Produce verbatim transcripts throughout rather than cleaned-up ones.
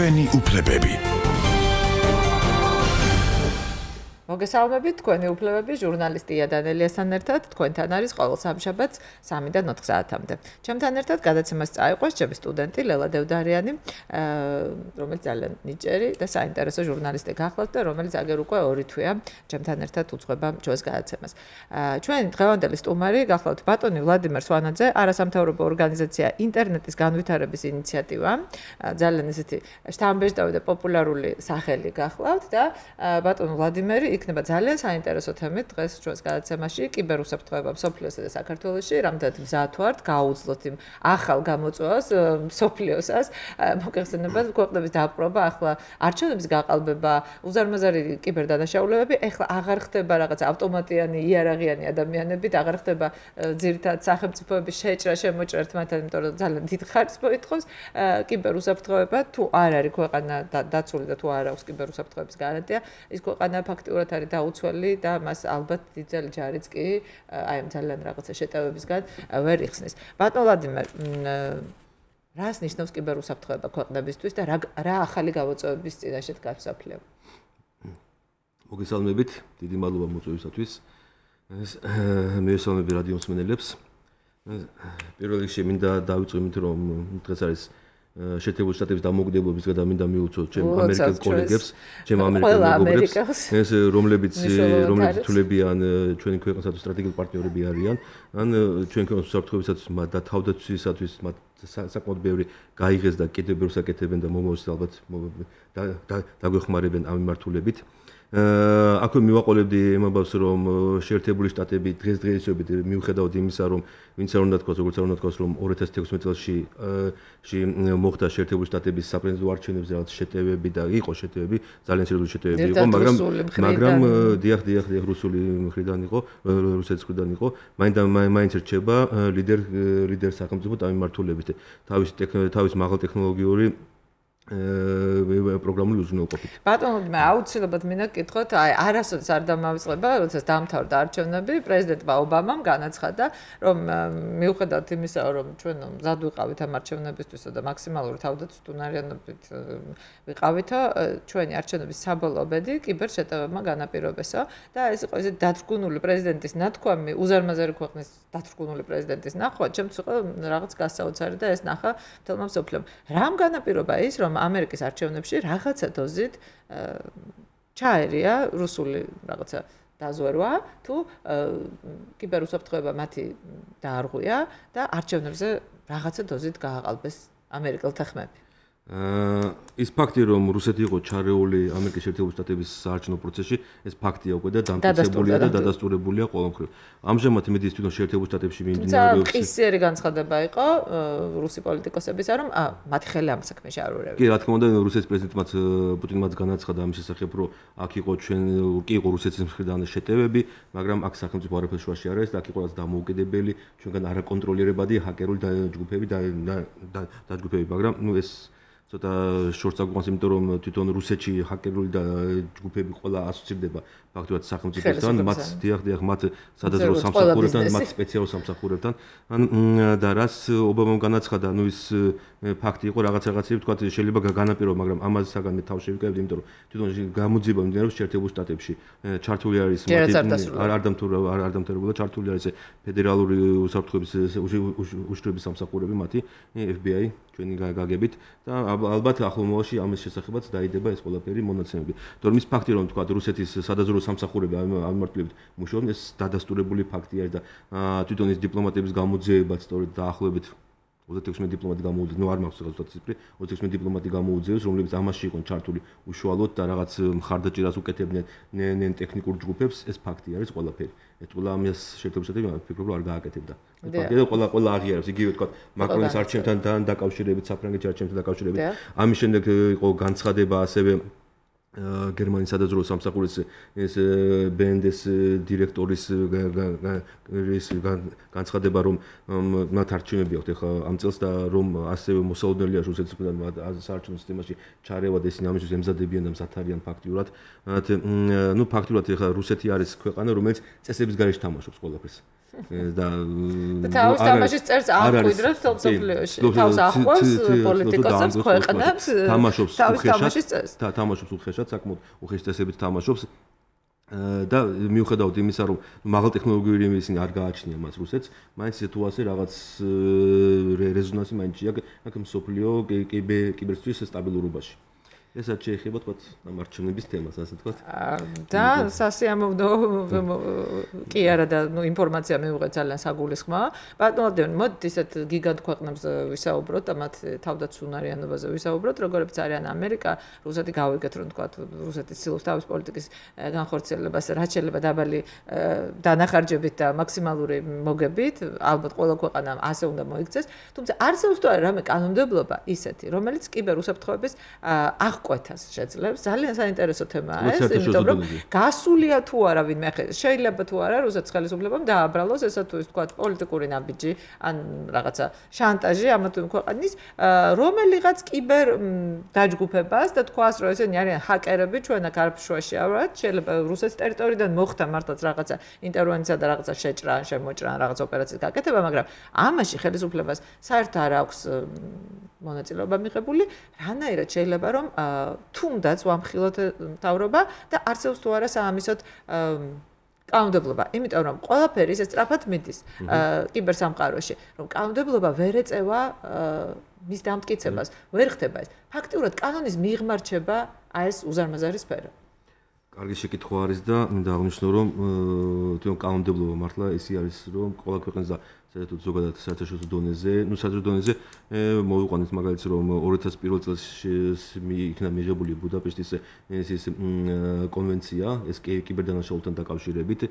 ჩვენი უფლებები. მოგესალმებით, თქვენი უფლებები, ჟურნალისტია დანელიასთან ერთად, თქვენთან არის ყოველ სამშაბათს სამიდან ოთხ საათამდე. ჩემთან ერთად გადაცემას წაიყვანს ჩემი სტუდენტი ლელა დევდარიანი, რომელიც ძალიან ნიჭიერი და საინტერესო ჟურნალისტი გახლავთ და რომელიც აგერ უკვე ორი თვეა ჩემთან ერთად უძღვება ჩვენს გადაცემას. ჩვენი დღევანდელი სტუმარი გახლავთ ბატონი ვლადიმერ სვანაძე, არასამთავრობო ორგანიზაცია ინტერნეტის განვითარების ინიციატივა, ძალიან ისეთი შთამბეჭდავი და პოპულარული სახელი გახლავთ და ბატონ ვლადიმერი იქნება ძალიან საინტერესო თემით დღეს ჩვენს გადაცემაში კიბერუსაფრთხოება მსოფლიოსა და საქართველოში, რამდენად მზად ვართ გაუძლოთ იმ ახალ გამოწვევას მსოფლიოსას, მოგეხსენებათ ქვეყნების დაპყრობა, ახლა არჩევნების გაყალბება, უზარმაზარი კიბერდანაშაულებები, ახლა აღარ ხდება რაღაც ავტომატიანი იარაღიანი ადამიანებით, აღარ ხდება ძირითადად სახელმწიფოების შეჭრა შემოჭრა ერთმანეთთან, იმიტომ რომ ძალიან დიდ ხარჯს მოითხოვს კიბერუსაფრთხოება, თუ არ არის ქვეყანა დაცული და თუ არ აქვს კიბერუსაფრთხოების გარანტია, ის ქვეყანა ფაქტიურად არის დაუცველი და მას ალბათ დიდძალი ჯარიც კი აი ამ ძალიან რაღაცა შეტევებისგან ვერ იხსნის. ბატონ ვლადიმერ, რას ნიშნავს კიბერუსაფრთხოება ქვეყნებისთვის და რა რა ახალი გამოწვევების წინაშე დგას მსოფლიო? მოგესალმებით, დიდი მადლობა მოწვევისათვის. მივესალმები რადიო მსმენელებს. პირველ რიგში მინდა დავიწყო იმით, რომ დღეს არის შეერთებული შტატების დამოუკიდებლობის დღე და მინდა მიუწოდო ჩემ ამერიკელ კოლეგებს, ჩემ ამერიკელ მეგობრებს, ეს რომლებიც რომლებიც თულებიან ჩვენი ქვეყნისათვის სტრატეგიული პარტნიორები არიან, ან ჩვენი ქვეყნის უსაფრთხოებისათვის და თავდაცვისათვის მათ საკმაოდ ბევრი გაიღეს და კიდევ ბევრს აკეთებენ და მომავალში ალბათ დაგვეხმარებენ ამ მიმართულებით. აქვე მივაყოლებდი ემაბავს, რომ შეერთებული შტატები დღესდღეობით მიუხედავად იმისა, რომ ვინც არ უნდა თქვას, როგორც არ უნდა თქვას, რომ ორი ათას თექვსმეტ წელში მოხდა შეერთებული შტატების საპრეზიდენტო არჩევნებზე რაღაც შეტევები და იყო შეტევები, ძალიან სერიოზული შეტევები იყო, მაგრამ მაგრამ დიახ, დიახ, დიახ, რუსული მხრიდან იყო, რუსეთის მხრიდან იყო, მაინც მაინც რჩება ლიდერ ლიდერ სახელმწიფო ამ მიმართულებით. თავის თავის მაღალ ტექნოლოგიური პროგრამული უზრუნველყოფით. ბატონო, მე აუცილებლად მინდა გკითხოთ, აი არასოდეს არ დამავიწყება, როდესაც დაამთავრდა არჩევნები, პრეზიდენტმა ობამამ განაცხადა, რომ მიუხედავად იმისა, რომ ჩვენ მზად ვიყავით ამ არჩევნებისთვისა და მაქსიმალური თავდაცვითუნარიანობით ვიყავითო, ჩვენი არჩევნების საბოლოო ბედი კიბერშეტევებმა განაპირობესო და ეს იყო ისე დათრგუნული პრეზიდენტის ნათქვამი, უზარმაზარი ქვეყნის დათრგუნული პრეზიდენტის ნახვა, ჩემთვის იყო რაღაც გასაოცარი და ეს ნახა მთელმა მსოფლიომ. რამ განაპირობა ის, რომ ამერიკის არჩევნებში რაღაცა დოზით ჩაერია რუსული რაღაცა დაზვერვა, თუ კიბერუსაფრთხოება მათი დაარღვია და არჩევნებზე რაღაცა დოზით გააყალბეს ამერიკელთა ხმები. ის ფაქტი, რომ რუსეთი იყო ჩარეული ამერიკის შეერთებული შტატების საარჩევნო პროცესში, ეს ფაქტია უკვე და დამტკიცებულია და დადასტურებულია ყოველმხრივ. ამჟამად იმედი თვითონ შეერთებულ შტატებში მიმდინარეობს. ყისიერი განცხადება იყო რუსი პოლიტიკოსებისა, რომ მათი ხელი ამ საქმეში არ ურევია. კი, რა თქმა უნდა, რუსეთის პრეზიდენტმაც პუტინმაც განაცხადა ამის შესახებ, რომ აქ იყო ჩვენ კი იყო რუსეთის მხრიდან შეტევები, მაგრამ აქ სახელმწიფო არაფერ შუაში არ არის და აქ იყო რაც დამოუკიდებელი, ჩვენგან არაკონტროლირებადი ჰაკერული ჯგუფები და დაჯგუფები, მაგრამ ნუ ეს ცოტა შორს აგვიყვანს, იმიტომ რომ თვითონ რუსეთში ჰაკერული და ჯგუფები ყველა ასოცირდება ფაქტობრივად სახელმწიფოსთან, მათ დიახ, დიახ, მათ სადაზრო სამსახურებთან, მათ სპეციალურ სამსახურებთან. და რას ობამამ განაცხადა, ნუ ის ფაქტი იყო რაღაც რაღაცები, თქვა შეიძლება განაპირობა, მაგრამ ამაზე საგან მე თავში ვიკავებდი, იმიტომ რომ თვითონ გამოძიება მიმდინარეობს შეერთებულ შტატებში. ჩართული არის არ არ არ დამთავრებულა, ჩართული არის ფედერალური უსაფრთხოების უშიშროების სამსახურები, მათი ეფ ბი აი ჩვენი გაგებით და ალბათ ახლო მომავალში ამის შესახებაც დაიდება ეს ყველაფერი მონაცემები. თორემ ის ფაქტი, რომ თქვა რუსეთის სადაზრო სამსახურები ამ მიმართულებით მუშაობენ, ეს დადასტურებული ფაქტი არის და თვითონ ის დიპლომატების გამოძიებაც სწორედ დაახლოებით ოცდაექვსი დიპლომატი გამოუძიეს, ნუ არ მაქვს რაღაც ციფრი, ოცდაექვსი დიპლომატი გამოუძიეს, რომლებიც ამაში იყვნენ ჩართული უშუალოდ და რაღაც მხარდაჭერას უკეთებდნენ ნენ ტექნიკურ ჯგუფებს, ეს ფაქტი არის ყველაფერი. ეს ყველა ამას შეერთებული შტატები ფიქრობ რომ არ გააკეთებდა. ეს ფაქტია და ყველა ყველა აღიარებს, იგივე თქვა მაკრონის არჩევნთან დაკავშირებით, საფრანგეთის არჩევნთან დაკავშირებით. ამის შემდეგ იყო განცხადება ასევე გერმანიის სადაზრო სამსახურის ეს ბე ენ დე-ის დირექტორის განცხადება, რომ მათ არჩევნები აქვთ ახლა ამ წელს და რომ ასევე მოსაოდნელია რუსეთისგან საარჩევნო სისტემაში ჩარევა და ისინი ამისთვის ემზადებიან და მზად არიან ფაქტიურად. ნუ ფაქტიურად ახლა რუსეთი არის ქვეყანა, რომელიც წესების გარეშე თამაშობს ყველაფერს. და თავის თამაშის წერს ამკვიდრებს თელ მსოფლიოში. თავს ახვევს პოლიტიკოსებს, ქვეყნებს, თამაშობს უხეშად და თამაშობს უხეშად, საკმაოდ უხეშ წესებით თამაშობს. და მიუხედავად იმისა, რომ მაღალ ტექნოლოგიური ისინი არ გააჩნია მას რუსეთს, მაინც სიტუაცია რაღაც რეზონანსი მაინც აქ მსოფლიო კიბერსთვის სტაბილურობაში. ესაც შეეხება თქვა ამ არჩევნების თემას, ასე თქვა. და სასიამოვნო კი არა და ნუ ინფორმაცია მივიღეთ ძალიან საგულისხმაა. ბატონო, მოდით ისეთ გიგანტ ქვეყნებს ვისაუბროთ და მათ თავდაცუნარიანობაზე ვისაუბროთ, როგორიც არიან ამერიკა, რუსეთი გავიგეთ რომ თქვა რუსეთის ცდილობს თავის პოლიტიკის განხორციელებას, რაც შეიძლება დაბალი დანახარჯებით და მაქსიმალური მოგებით, ალბათ ყველა ქვეყანამ ასე უნდა მოიქცეს, თუმცა არსებობს თუ არა რამე კანონმდებლობა ისეთი, რომელიც კიბერ უსაფრთხოების აღ ყვეთას შეძლებს. ძალიან საინტერესო თემაა ეს, იმიტომ რომ გასულია თუ არა ვინმე შეიძლება თუ არა რუსეთის ხელისუფლებამ დააბრალოს ესა თუ ის თქვა პოლიტიკური ნაბიჯი ან რაღაცა შანტაჟი ამა თუ იმ ქვეყნის რომელიღაც კიბერ დაჯგუფებას და თქვას რომ ესენი არიან ჰაკერები ჩვენ აქ არაფშვაში ავართ შეიძლება რუსეთის ტერიტორიიდან მოხდა მართლაც რაღაცა ინტერვენცია და რაღაცა შეჭრა ან შემოჭრა ან რაღაც ოპერაციის გაკეთება, მაგრამ ამაში ხელისუფლებას საერთოდ არ აქვს მონაწილეობა მიღებული, რანაირად შეიძლება რომ თუნდაც ვამხილოთ მთავრობა და არსებობს თუ არა საამისოდ კანონმდებლობა, იმიტომ რომ ყველაფერი ისე სწრაფად მიდის კიბერსამყაროში, რომ კანონმდებლობა ვერ ეწევა მის დამტკიცებას, ვერ ხდება ეს. ფაქტიურად კანონის მიღმა რჩება აი ეს უზარმაზარი სფერო. კარგი შეკითხვა არის და მინდა აღნიშნო რომ თვითონ კანონმდებლობა მართლა ისე არის რომ ყველა ქვეყანას და საერთოდ ზოგადად საერთაშორისო დონეზე, ну საერთაშორისო დონეზე მოვიყვანეთ მაგალითად რომ ორი ათას პირველ წელს იქნა მიღებული ბუდაპეშტის ეს კონვენცია, ეს კიბერდანაშაულებთან დაკავშირებით,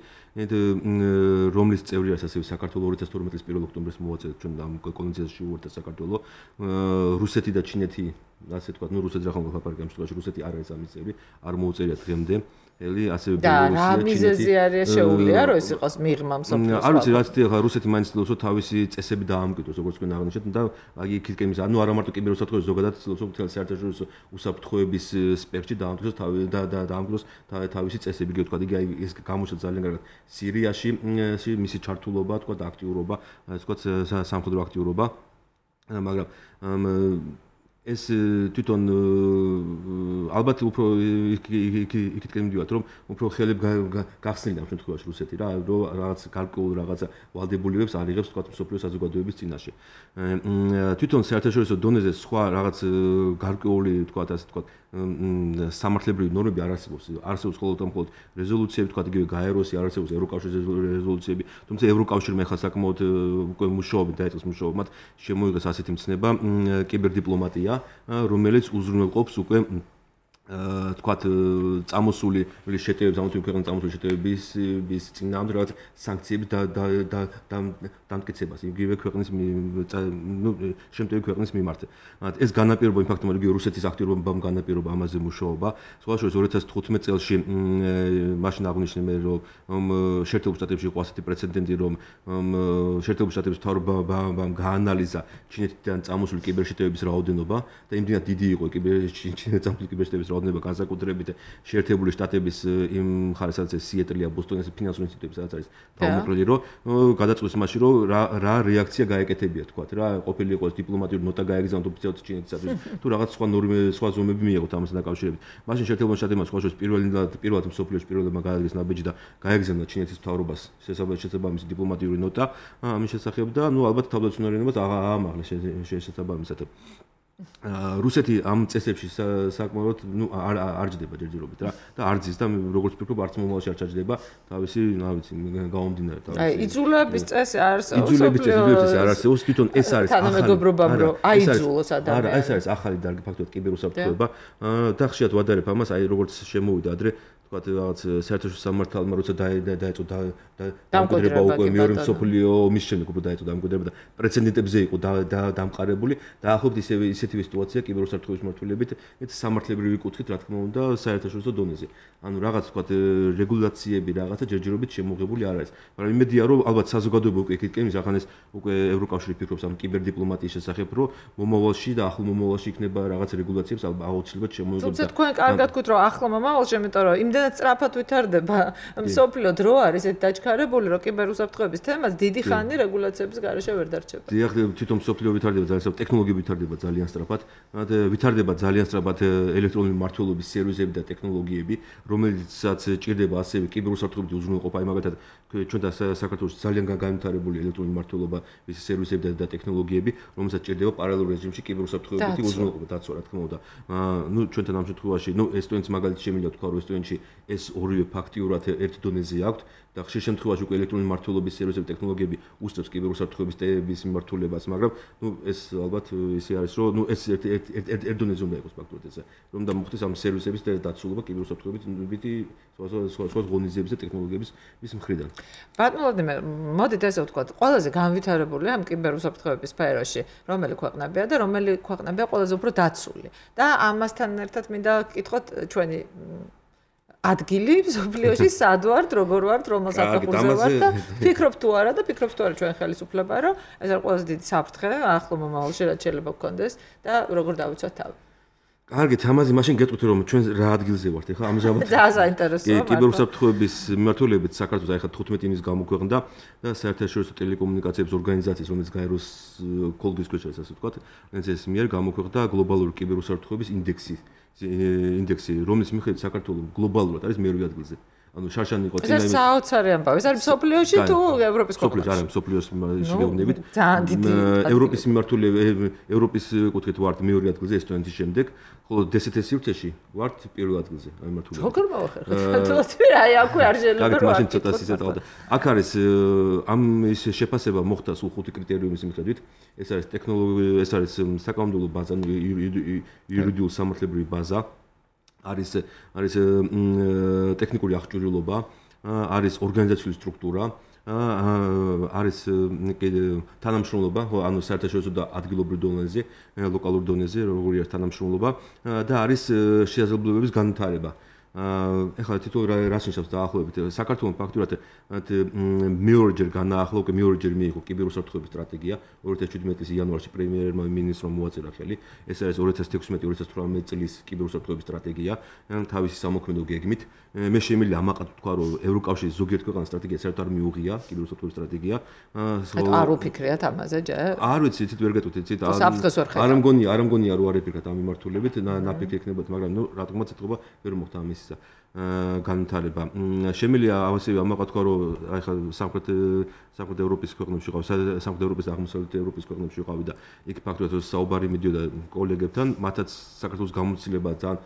რომლის წევრი არის ასევე საქართველოს ორი ათას თორმეტი წლის პირველ ოქტომბერს მოვაწოდეთ ჩვენ ამ კონვენციაში უერთდა საქართველოს, რუსეთი და ჩინეთი, ასე ვთქვათ, ну რუსეთი რა ხომ ლაპარაკი ამ შემთხვევაში რუსეთი არ არის ამის წევრი, არ მოუწერიათ დღემდე. ელი ასევე ბელორუსია, ჩინეთი. და რა მიზეზი არის შეუძლია რომ ეს იყოს მიღმა მსოფლიოს. არ ვიცი, რაც ახლა რუსეთი მაინც ცდილობს რომ თავისი წესები დაამკვიდროს, როგორც თქვენ აღნიშნეთ და აი იქითკენ ის ანუ არა მარტო კიბერუსაფრთხოების ზოგადად ცდილობს რომ მთელ საერთაშორისო უსაფრთხოების სპექტრში დაამკვიდროს თავი და დაამკვიდროს თავისი წესები, იგი თქვა, იგი აი ეს გამოჩნდა ძალიან კარგად სირიაში, მისი ჩართულობა, თქვა და აქტიურობა, ასე თქვა სამხედრო აქტიურობა, მაგრამ ეს თვითონ ალბათ უფრო იქითკენ მივიდივართ რომ უფრო ხელებ გახსნიდა ამ შემთხვევაში რუსეთი რა რომ რაღაც გარკვეულ რაღაცა ვალდებულებებს არიღებს თქვა მსოფლიო საზოგადოების წინაშე. თვითონ საერთაშორისო დონეზე სხვა რაღაც გარკვეული თქვა ასე თქვა სამართლებრივი ნორმები არ არსებობს. არსებობს მხოლოდ მხოლოდ რეზოლუციები თქვა იგივე გაეროსი, არ არსებობს ევროკავშირის რეზოლუციები, თუმცა ევროკავშირმა ახლა საკმაოდ უკვე მუშაობით დაიწყეს მუშაობა, მათ შემოიღეს ასეთი მცნება კიბერდიპლომატია, რომელიც უზრუნველყოფს უკვე თქვათ წამოსული შეტევებს, ამიტომ ქვეყნის წამოსული შეტევების ის წინააღმდეგ რაღაც სანქციები და და დამტკიცებას იგივე ქვეყნის ნუ შემტევი ქვეყნის მიმართ. ეს განაპირობა იმ ფაქტმა, რომ იგივე რუსეთის აქტიურობამ განაპირობა ამაზე მუშაობა. სხვა შორის ორი ათას თხუთმეტ წელს მაშინ აღნიშნე მე რომ შეერთებულ შტატებში იყო ასეთი პრეცედენტი, რომ შეერთებულ შტატების მთავრობამ გაანალიზა ჩინეთიდან წამოსული კიბერშეტევების რაოდენობა და იმდენად დიდი იყო ჩინეთიდან წამოსული კიბერშეტევების რაოდენობა განსაკუთრებით შეერთებული შტატების იმ მხარეს, სადაც სიეტლია, ბოსტონის ფინანსური ინსტიტუტები, სადაც არის თავმოყრილი, რომ გადაწყვეტს მაშინ რომ რა რა რეაქცია გაეკეთებია თქვა რა ყოფილი იყოს დიპლომატიური ნოტა გაეგზავნოთ ოფიციალურად ჩინეთისათვის თუ რაღაც სხვა ნორმები სხვა ზომები მიიღოთ ამასთან დაკავშირებით. მაშინ შეერთებულ შტატებმა სხვა შორის პირველად პირველად მსოფლიოში პირველადმა გააგზავნა ნაბიჯი და გაეგზავნა ჩინეთის მთავრობას შესაბამისი დიპლომატიური ნოტა ამის შესახებ და ნუ ალბათ თავდაცუნარიანობას აამაღლეს შესაბამისად. რუსეთი ამ წესებში საკმაოდ ნუ არ არ ჯდება ჯერჯერობით რა და არ ძის და როგორც ვფიქრობ არც მომავალში არ ჩაჯდება თავისი რა ვიცი გაუმდინარე თავისი აი იძულების წესი არსებობს იძულების წესი არ არსებობს თვითონ ეს არის ახალი თანამეგობრობამ რომ აიძულოს ადამიანი არა ეს არის ახალი დარგი ფაქტობრივად კიბერუსაფრთხოება და ხშირად ვადარებ ამას აი როგორც შემოვიდა ადრე თქვათ რაღაც საერთაშორისო სამართალმა როცა დაეწო დამკვიდრება უკვე მეორე მსოფლიო ომის შემდეგ უკვე დაეწო დამკვიდრება და პრეცედენტებზე იყო დამყარებული და ახლობთ ისევე ისეთივე სიტუაცია კიბერუსაფრთხოების მართულებით ეს სამართლებრივი კუთხით რა თქმა უნდა საერთაშორისო დონეზე. ანუ რაღაც თქვათ რეგულაციები რაღაცა ჯერჯერობით შემოღებული არ არის. მაგრამ იმედია რომ ალბათ საზოგადოება უკვე იქითკენ ის ახანეს უკვე ევროკავშირი ფიქრობს ამ კიბერდიპლომატიის შესახებ რომ მომავალში და ახლო მომავალში იქნება რაღაც რეგულაციებს ალბათ აუცილებლად შემოიღებს. თუმცა თქვენ კარგად გქვით რომ ახლო მომავალში, იმიტომ რომ იმდენად იმდენად სწრაფად ვითარდება მსოფლიო დრო არის ეს დაჩქარებული, რომ კიბერუსაფრთხოების თემას დიდი ხანი რეგულაციების გარეშე ვერ დარჩება. დიახ, თვითონ მსოფლიო ვითარდება ძალიან სწრაფად, ტექნოლოგიები ვითარდება ძალიან სწრაფად. ვითარდება ძალიან სწრაფად ელექტრონული მმართველობის სერვისები და ტექნოლოგიები, რომელიცაც ჭირდება ასევე კიბერუსაფრთხოების უზრუნველყოფა, აი მაგალითად ჩვენ და საქართველოს ძალიან განვითარებული ელექტრონული მმართველობა, ის სერვისები და ტექნოლოგიები, რომელსაც ჭირდება პარალელურ რეჟიმში კიბერუსაფრთხოებითი უზრუნველყოფა, დაცვა, რა თქმა უნდა. ნუ ჩვენთან ამ შემთხვევაში, ნუ ესტონეთის მაგალითი შემიძლია თქვა, რომ ესტონეთში ეს ორივე ფაქტიურად ერთ დონეზე აქვთ და ხშირ შემთხვევაში უკვე ელექტრონული მმართველობის სერვისები ტექნოლოგიები უსწრებს კიბერუსაფრთხოების ტემების მიმართულებას, მაგრამ ნუ ეს ალბათ ისე არის, რომ ნუ ეს ერთ ერთ ერთ დონეზე უნდა იყოს ფაქტურად ესე, რომ და მოხდეს ამ სერვისების დაცულობა კიბერუსაფრთხოებითი სხვა სხვა ღონისძიების და ტექნოლოგიების მის მხრიდან. ბატონო ვლადიმერ, მოდით ესე ვთქვათ, ყველაზე განვითარებული ამ კიბერუსაფრთხოების სფეროში, რომელი ქვეყნებია და რომელი ქვეყნებია ყველაზე უფრო დაცული. და ამასთან ერთად მინდა გკითხოთ ჩვენი ადგილი მსოფლიოში სად ვართ, როგორ ვართ, რომელ საფეხურზე ვართ და ფიქრობ თუ არა და ფიქრობ თუ არა ჩვენ ხელისუფლება, რომ ეს არის ყველაზე დიდი საფრთხე ახლო მომავალში რაც შეიძლება გქონდეს და როგორ დავიცვათ თავი. კარგით, ამაზე მაშინ გეტყვით რომ ჩვენ რა ადგილზე ვართ ახლა ამჟამად. ძალიან საინტერესოა. კიბერუსაფრთხოების მიმართულებით საქართველოს ახლა თხუთმეტი იმის გამოქვეყნდა და საერთაშორისო ტელეკომუნიკაციების ორგანიზაციის, რომელიც გაეროს კოლგის ქვეშ არის, ასე ვთქვათ, ეს მიერ გამოქვეყნდა გლობალური კიბერუსაფრთხოების ინდექსი. ინდექსი, რომლის მიხედვით საქართველოს გლობალურად არის მერვე ადგილზე. ანუ შარშანი იყო წინა იმის. ეს საოცარი ამბავი. ეს არის მსოფლიოში თუ ევროპის ქვეყნებში? მსოფლიოში, არა, მსოფლიოს შეგეუბნებით. ძალიან დიდი. ევროპის მიმართულებით, ევროპის კუთხით ვართ მეორე ადგილზე ესტონეთის შემდეგ, ხოლო დსთ სივრცეში ვართ პირველ ადგილზე, აი მიმართულებით. როგორ მოვახერხეთ? თუ რა, აი აქვე არ შეიძლება რა. მაგით ცოტა სიცოცხლე. აქ არის ამ ის შეფასება მოხდა სულ ხუთი კრიტერიუმის მიხედვით. ეს არის ტექნოლოგია, ეს არის საკანონმდებლო ბაზა, იურიდიული სამართლებრივი ბაზა. არის არის ტექნიკური აღჭურვილობა, არის ორგანიზაციული სტრუქტურა, არის თანამშრომლობა, ანუ საერთაშორისო და ადგილობრივ დონეზე, ლოკალურ დონეზე, როგორი არის თანამშრომლობა და არის შესაძლებლობების განვითარება. ეხლა თითოეულ რას ნიშნავს დაახლოებით საქართველოს ფაქტურად მეორეჯერ განაახლა უკვე მეორეჯერ მიიღო კიბერუსაფრთხოების სტრატეგია ორი ათას შვიდმეტი წლის იანვარში პრემიერმა მინისტრმა მოაწერა ხელი ეს არის ორი ათას თექვსმეტი ორი ათას თვრამეტი წლის კიბერუსაფრთხოების სტრატეგია თავისი სამოქმედო გეგმით მე შემიძლია ამაყად თქვა რომ ევროკავშირის ზოგიერთ ქვეყანას სტრატეგია საერთოდ არ მიუღია კიბერუსაფრთხოების სტრატეგია არ უფიქრიათ ამაზე ჯერ არ ვიცი ცით ვერ გეტყვით ცით არ მგონია არ მგონია რომ არ ეფიქრათ ამ მიმართულებით ნაფიქრი ექნებათ მაგრამ ნუ რა თქმა უნდა ცეთქობა ვერ მოხდა ამის განვითარება. შემიძლია ასევე ამაყად თქვა რომ აი ხა სამხრეთ სამხრეთ ევროპის ქვეყნებში ვიყავ, სამხრეთ ევროპის და აღმოსავლეთ ევროპის ქვეყნებში ვიყავი და იქ ფაქტობრივად საუბარი მიდიოდა კოლეგებთან, მათაც საქართველოს გამოცდილება ძალიან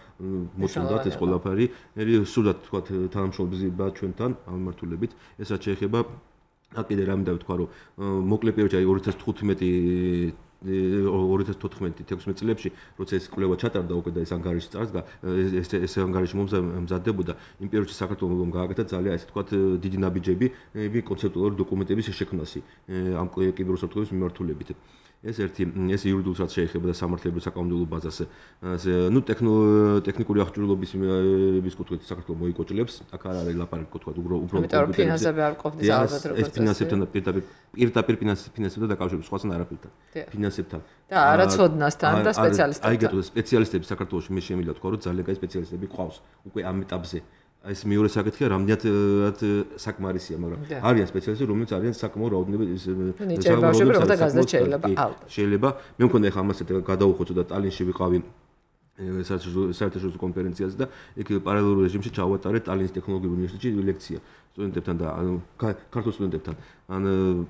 მოწონდათ ეს ყველაფერი. მე სულაც თქვა თანამშრომლობა ჩვენთან ამ მიმართულებით, ეს რაც შეეხება კიდე რამე დავთქვა რომ მოკლე პერიოდში აი ორი ათას თხუთმეტი ორი ათას თოთხმეტი თექვსმეტი წლებში, როცა ეს კვლევა ჩატარდა უკვე და ეს ანგარიში წარსდგა, ეს ეს ანგარიში მომზადდებოდა, იმ პერიოდში საქართველოს გააკეთა ძალიან ესე თქვათ დიდი ნაბიჯები კონცეპტუალური დოკუმენტების შექმნაში ამ კიბერუსაფრთხოების მიმართულებით. ეს ერთი ეს იურიდიულად შეეხება და სამართლებრივ საკანონმდებლო ბაზას. ნუ ტექნიკური აღჭურვილობის ის კუთხით საქართველოს მოიკოჭლებს, აქ არ არის ლაპარაკი კუთხით უფრო უფრო ფინანსები არ ყოფნის ალბათ როგორც ეს ფინანსებთან პირდაპირ პირდაპირ ფინანსებთან დაკავშირებით სხვასთან არაფერთან. ფინანსებთან და არაცოდნასთან და სპეციალისტებთან. აი გეტყვი სპეციალისტები საქართველოში მე შემიძლია თქვა რომ ძალიან კაი სპეციალისტები ყავს უკვე ამ ეტაპზე. ეს მეორე საკითხია, რამდენად საკმარისია, მაგრამ არიან სპეციალისტები, რომლებიც არიან საკმაო რაოდენობით შეიძლება. მე მგონი ახლა ამას გადავუხოცო და ტალინში ვიყავი საერთაშორისო კონფერენციაზე და იქ პარალელურ რეჟიმში ჩავატარეთ ტალინის ტექნოლოგიურ უნივერსიტეტში ლექცია სტუდენტებთან და ქართულ სტუდენტებთან. ან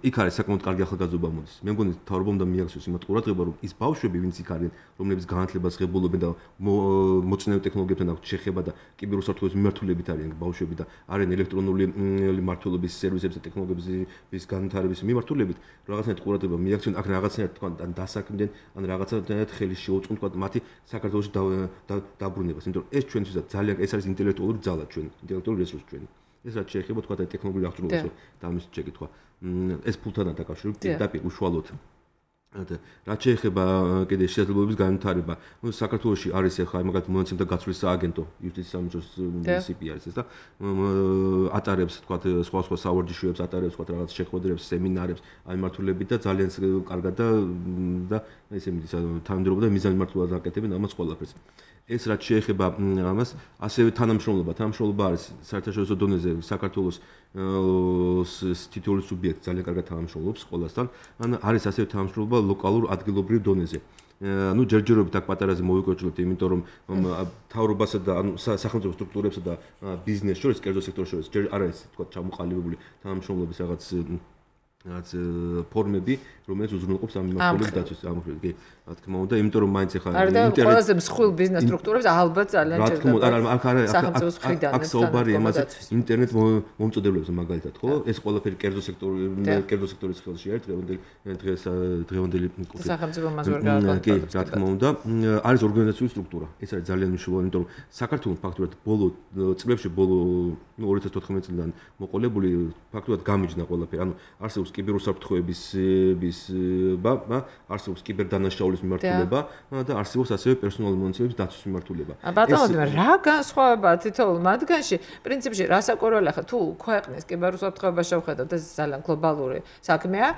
იქ არის საკმაოდ კარგი ახალგაზრდობა მოდის. მე მგონი თავრობამ და მიაქციოს იმათ ყურადღება, რომ ის ბავშვები, ვინც იქ არიან, რომლებიც განათლებას ღებულობენ და მოწინავე ტექნოლოგიებთან აქვს შეხება და კიბერუსაფრთხოების მიმართულებით არიან ბავშვები და არიან ელექტრონული მმართველობის სერვისების და ტექნოლოგიების განვითარების მიმართულებით, რაღაცნაირად ყურადღება მიაქციონ, აქ რაღაცნაირად თქვა ან დასაქმდნენ, ან რაღაცნაირად ხელი შეუწყონ თქვა მათი საქართველოში დაბრუნებას, იმიტომ რომ ეს ჩვენთვისაც ძალიან ეს არის ინტელექტუალური ძალა ჩვენ, ინტელექტუალური რესურსი ჩვენი. ეს რაც შეეხება თქვა ტექნოლოგიური აღჭურვილობა და ამის შეკითხვა. ეს ფულთანაა დაკავშირებული პირდაპირ უშუალოდ. რაც შეეხება კიდე შესაძლებლობების განვითარება, ნუ საქართველოში არის ახლა მაგალითად მონაცემთა გაცვლის სააგენტო, იუსტიციის სამინისტროს სი პი არის ეს და ატარებს თქვა სხვა სხვა სავარჯიშოებს, ატარებს თქვა რაღაც შეხვედრებს, სემინარებს ამ მიმართულებით და ძალიან კარგად და და ესე მიდის თანამდებობა და მიზანმიმართულად აკეთებენ ამას ყველაფერს. ეს რაც შეეხება ამას, ასევე თანამშრომლობა, თანამშრომლობა არის საერთაშორისო დონეზე საქართველოს თითოეული სუბიექტი ძალიან კარგად თანამშრომლობს ყველასთან. ან არის ასევე თანამშრომლობა ლოკალურ ადგილობრივ დონეზე. ну ჯერჯერობით აქ პატარაზე მოვიკოჭლებთ, იმიტომ რომ თავრობასა და ანუ სახელმწიფო სტრუქტურებსა და ბიზნეს შორის, კერძო სექტორს შორის ჯერ არ არის თქვა ჩამოყალიბებული თანამშრომლობის რაღაც რაც ფორმები, რომელიც უზრუნველყოფს ამ მიმართულების დაცვის ამხრივ. კი, რა თქმა უნდა, იმიტომ რომ მაინც ახლა ინტერნეტ ყველაზე მსხვილ ბიზნეს სტრუქტურებს ალბათ ძალიან ჭირდება. რა თქმა უნდა, აქ არის სახელმწიფოს მხრიდან აქ საუბარი იმაზე ინტერნეტ მომწოდებლებზე მაგალითად, ხო? ეს ყველაფერი კერძო სექტორი, კერძო სექტორის ხელში არის დღევანდელი დღეს დღევანდელი სახელმწიფო მას ვერ გააკეთებს. კი, რა თქმა უნდა, არის ორგანიზაციული სტრუქტურა. ეს არის ძალიან მნიშვნელოვანი, იმიტომ რომ საქართველოს ფაქტურად ბოლო წლებში, ბოლო ორი ათას თოთხმეტ წლიდან მოყოლებული ფაქტურად გამიჯნა ყველაფერი. ანუ არსებობს კიბერუსაფრთხოების არსებობს კიბერდანაშაულის მიმართულება და არსებობს ასევე პერსონალური მონაცემების დაცვის მიმართულება. ბატონო, რა განსხვავებაა თითოეულ მათგანში? პრინციპში რასაკურველი ახლა თუ ქვეყნის კიბერუსაფრთხოება შევხედოთ, ეს ძალიან გლობალური საქმეა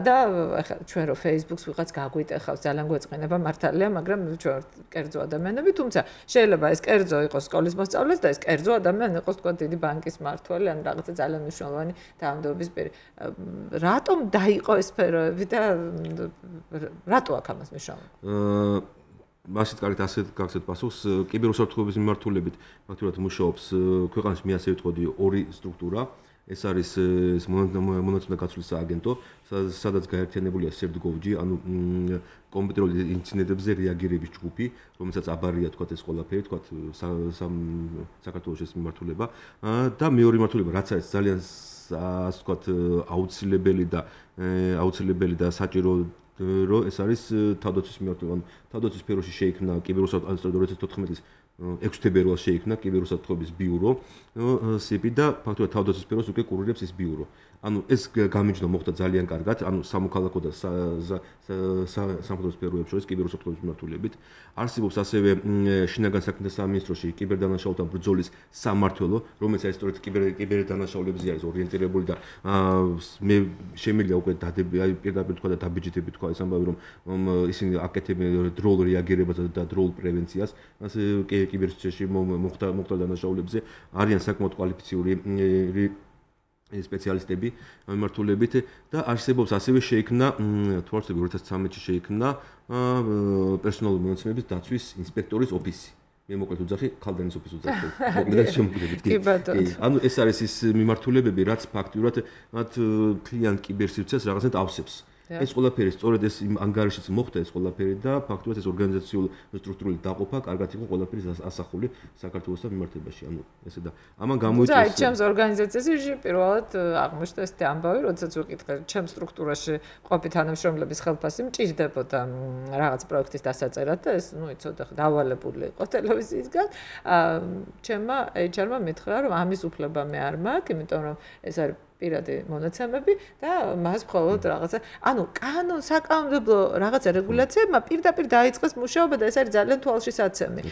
და ახლა ჩვენ რო Facebook-ს ვიღაც გაგვიტეხავს, ძალიან გვეწყინება მართალია, მაგრამ ჩვენ კერძო ადამიანები, თუმცა შეიძლება ეს კერძო იყოს სკოლის მოსწავლეს და ეს კერძო ადამიანი იყოს თქვა დიდი ბანკის მმართველი ან რაღაცა ძალიან მნიშვნელოვანი თანამდებობის პირი. რატომ დაიყო ეს სფეროები და რატო აქ ამას მნიშვნელობა? აა მასით კარგად ასეთ გაგცეთ პასუხს, კიბერუსაფრთხოების მიმართულებით ფაქტურად მუშაობს ქვეყანაში მე ასე ვიტყოდი ორი სტრუქტურა. ეს არის ეს მონაცემთა გაცვლის სააგენტო, სადაც გაერთიანებულია სერდგოვჯი, ანუ კომპიუტერულ ინციდენტებზე რეაგირების ჯგუფი, რომელსაც აბარია თქვა ეს ყველაფერი, თქვა საქართველოს ეს მიმართულება და მეორე მიმართულება, რაც არის ძალიან ასე ვთქვათ აუცილებელი და აუცილებელი და საჭირო რომ ეს არის თავდაცვის მიმართულება. ანუ თავდაცვის სფეროში შეიქმნა კიბერუსაფრთხოების ორი ათას თოთხმეტის ექვსი თებერვალს შეიქმნა კიბერუსაფრთხოების ბიურო სიპი და ფაქტობრივად თავდაცვის სფეროს უკვე კურირებს ეს ბიურო. ანუ ეს გამიჯნა მოხდა ძალიან კარგად, ანუ სამოქალაქო და სამხედრო სფეროებს შორის კიბერუსაფრთხოების მიმართულებით. არსებობს ასევე შინაგან საქმეთა სამინისტროში კიბერდანაშაულთა ბრძოლის სამმართველო, რომელიც არის სწორედ კიბერდანაშაულებზე არის ორიენტირებული და მე შემიძლია უკვე დადები, აი პირდაპირ თქვა და დაბიჯითები თქვა ეს ამბავი, რომ ისინი აკეთებენ დროულ რეაგირებას და დროულ პრევენციას, ასე კიბერსიტუაციაში მოხდა მოხდა დანაშაულებზე, არიან საკმაოდ კვალიფიციური სპეციალისტები მიმართულებით და არსებობს ასევე შეიქმნა თვალსები ორი ათას ცხრამეტში შეიქმნა პერსონალური მონაცემების დაცვის ინსპექტორის ოფისი. მე მოკლედ უძახი ქალდანის ოფისს უძახი. მოკლედ შემოგვიდებით. კი. ანუ ეს არის ის მიმართულებები, რაც ფაქტურად მათ კლიანტ კიბერსიტუაციას რაღაცნაირად ავსებს. ეს ყველაფერი სწორედ ეს ანგარიშიც მოხდა ეს ყველაფერი და ფაქტობრივად ეს ორგანიზაციული სტრუქტურული დაყოფა კარგად იყო ყველაფერი ასახული საქართველოსთან მიმართებაში. ანუ ესე და ამან გამოიწვია აი ჩემს ორგანიზაციაში პირველად აღმოჩნდა ეს ამბავი, როდესაც ვიკითხე ჩემს სტრუქტურაში ყოფი თანამშრომლების ხელფასი მჭირდებოდა რაღაც პროექტის დასაწერად და ეს ნუ იცოდა დავალებული იყო ტელევიზიისგან. ჩემმა ეიჩ არ-მა მითხრა რომ ამის უფლება მე არ მაქვს, იმიტომ რომ ეს არის პირადი მონაცემები და მას მხოლოდ რაღაცა, ანუ კანონ საკანონმდებლო რაღაცა რეგულაციებმა პირდაპირ დაიწყეს მუშაობა და ეს არის ძალიან თვალშისაცემი.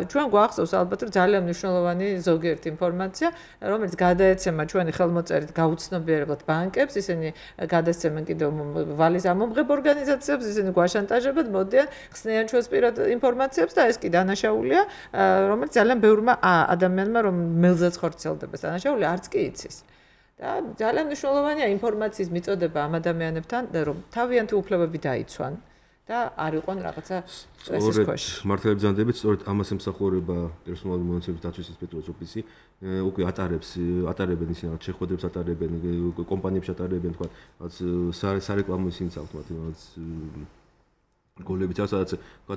ჩვენ გვახსოვს ალბათ რომ ძალიან მნიშვნელოვანი ზოგიერთი ინფორმაცია, რომელიც გადაეცემა ჩვენი ხელმოწერით გაუცნობიერებლად ბანკებს, ისინი გადასცემენ კიდევ ვალის ამომღებ ორგანიზაციებს, ისინი გვაშანტაჟებენ, მოდიან, ხსნიან ჩვენს პირად ინფორმაციებს და ეს კი დანაშაულია, რომელიც ძალიან ბევრმა ადამიანმა რომ მელზეც ხორციელდება დანაშაული არც კი იცის. და ძალიან მნიშვნელოვანია ინფორმაციის მიწოდება ამ ადამიანებთან, რომ თავიანთი უფლებები დაიცვან და არ იყვნენ რაღაცა სტრესის ქვეშ. მართლაც ბრძანდებით, სწორედ ამას ემსახურება პერსონალური მონაცემების დაცვის ინსპექტორის ოფისი, უკვე ატარებს, ატარებენ ისინი რაღაც შეხვედრებს ატარებენ, კომპანიებში ატარებენ, თქვა, რაღაც სარეკლამო ისინი საერთოდ რაღაც გოლებით ასაც თქვა